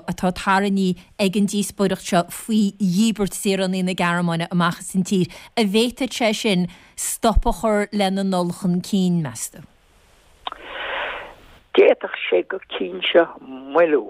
S1: atá tarraingthe ag an díospóireacht seo faoi dhíbirt saoránaigh na Gearmáine amach as an tír, an bhféadfadh sé sin stop a chur lena ndul chun cinn, meas tú?
S19: D'fhéadfadh sé go cinnte moilliú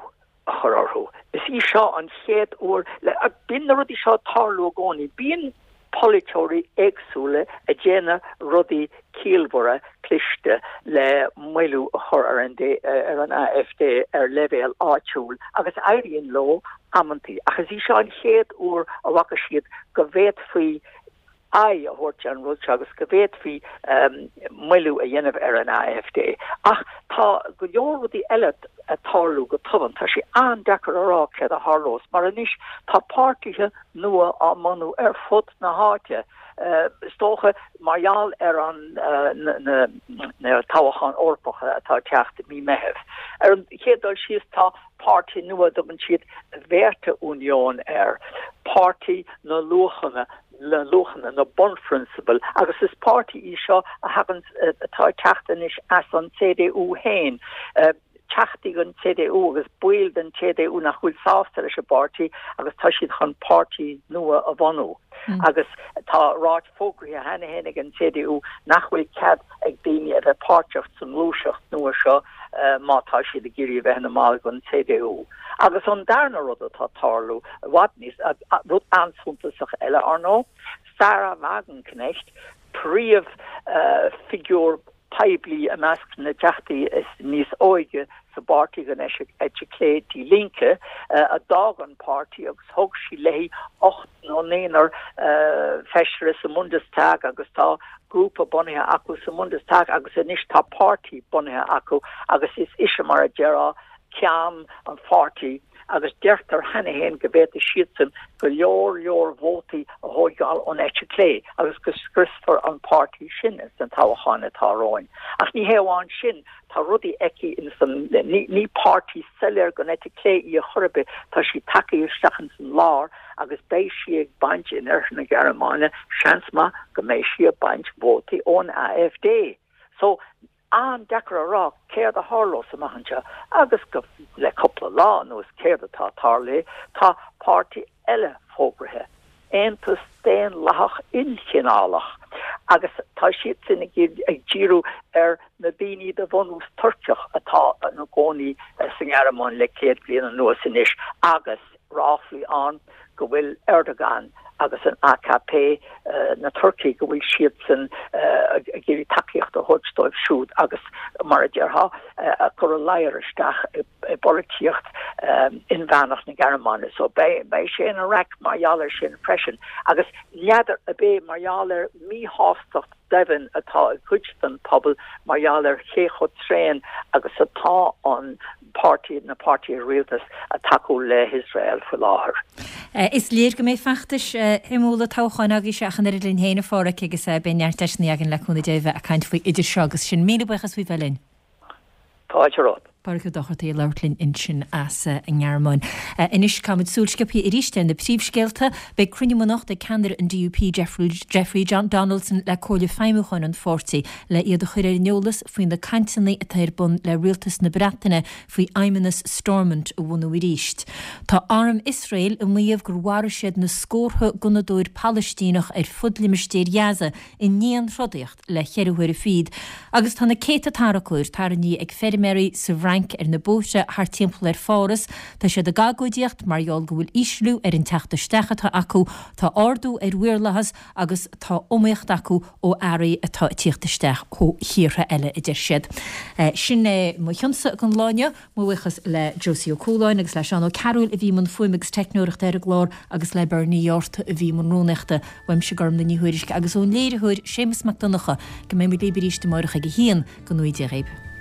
S19: a chur orthu. Is í seo an chéad uair le, bíonn na rudaí seo ag tarlú i gcónaí. Bíonn polaiteoirí éagsúla ag déanamh rudaí ciallmhara cliste le moilliú a chur ar an ar an AfD ar leibhéal áitiúil agus éiríonn leo amantaí. Ach is í seo an chéad uair a bhfaca siad go bhféadfaí aghaidh a thabhairt ar an rud seo agus go bhféadfaí moilliú a dhéanamh ar an AfD. Ach tá go leor rudaí eile ag tarlú go tobann. Tá sé an-deacair a rá céard a tharlós, mar anois tá páirtithe nua á mbunú ar fud na háite, is dócha mar gheall ar an na toghcháin Eorpacha atá ag teacht i mí Meithimh. Ar an chéad dul síos tá páirtí nua a dtugann siad Werte-Union air, páirtí na luachanna, na luachanna, na bunphrionsabail, agus is páirtí í seo a thagann, atá ag teacht anois as an CDU féin, teachtaí den CDU agus baill den CDU nach bhfuil sásta leis an bpáirtí agus tá siad chun páirtí nua a bhunú. Agus tá ráite fógraithe cheana féin ag an CDU nach bhfuil cead ag daoine a bheith páirteach sa ngluaiseacht nua seo má tá siad ag iarraidh a bheith ina mball den CDU. Agus an darna rud atá ag tarlú, i bhfad níos, rud an-suntasach eile, ar ndóigh, Sahra Wagenknecht, príomhfhigiúr poiblí i measc na dteachtaí is níos óige sa bpáirtí den eite chlé Die Linke, a d'fhág an páirtí agus thug sí léi ocht nó naonúr feisire sa mBundestag agus tá grúpa bunaithe acu sa mBundestag agus anois tá páirtí bunaithe acu agus is ise mar a déarfá ceann an pháirtí agus deirtear cheana féin go bhféadfaidh siadsan go leor leor vótaí a thóigeáil ón eite chlé agus go scriosfar an páirtí sin sna toghcháin atá romhainn. Ach ní hé amháin sin, tá rudaí aici ins an, ní páirtí soiléir den eite chlé í ar chor ar bith, tá sí tagtha isteach ins an lár agus beidh sí ag baint in oirthear na Gearmáine, seans maith go mbeidh sí ag baint vótaí ón AfD. So, an-deacair a rá céard a tharlós amach anseo agus go le cúpla lá anuas céard atá tarlaithe, tá páirtí eile fógraithe, Aontas Daonlathach Ilchineálach, agus tá siadsan ag díriú ar na daoine de bhunús Tuirceach atá ina gcónaí sa nGearmáin le céad bliain anuas anois agus ráflaí ann go bhfuil Erdogan agus an AKP, na Turcaigh, go bhfuil siadsan ag iarraidh tacaíocht a thabhairt dóibh siúd agus, mar a déarfá, ag cur a ladhar isteach i bpolaitíocht inmheánach na Gearmáine. So beidh sé ina raic mar gheall air sin freisin. Agus n'fheadar ab é mar gheall ar mhíshástacht doimhin atá i gcuid den phobal mar gheall ar cé chomh tréan agus atá an páirtí, na páirtithe rialtais ag tacú le hIosrael faoi láthair.
S1: Is léir go mbeidh feachtais shuimiúla toghcháin agaibhse ach an oiread linn féin, a Pháraic, agus beidh neart deiseanna againn le cúnamh Dé a bheith ag caint faoi idir seo agus sin. Míle buíochas faoi bheith linn.
S19: Fáilte romhat.
S1: Pádraig Ó Dochartaigh ag labhairt linn ansin as an nGearmáin. Anois caithfimid súil sciobtha arís ar na príomhscéalta. Beidh cruinniú anocht ag ceannaire an DUP Jeffrey Donaldson le Comhairle Feidhmiúcháin an pháirtí le iad a chur ar an eolas faoi na cainteanna atá ar bun le Rialtas na Breataine faoi Fheidhmeannas Stormont a bhunú arís. Tá arm Iosrael ag maíomh gur mharaigh siad na scórtha gunnadóir Palaistíneach ar fud limistéar Ghaza i ndianthrodaíocht le cheithre huaire fichead agus tá na céadta tarracóir tarraingthe ag feirmeoirí sa Fhrainc ar na bóithre thart timpeall ar Pháras. Tá siad ag agóidíocht mar gheall go bhfuil ísliú ar an teacht isteach atá acu, tá ardú ar mhaorlathas agus tá iomaíocht acu ó earraí atá ag tíocht isteach ó thíortha eile, a deir siad. Sin é mo chionsa don lá inniu. Mo bhuíochas le Josie Ó Cualáin agus le Seán Ó Cearúil a bhí i mbun fuaime agus teicneoireachta ar an gclár agus le Bernie Yorta a bhí i mbun rúnaíochta. Uaimse Gormlaith Ní Thuairisg agus ón léiritheoir Séamus Mac Donncha go mbeidh muid libh arís amárach ag a haon. Go ngnóthaí Dia dhaoibh.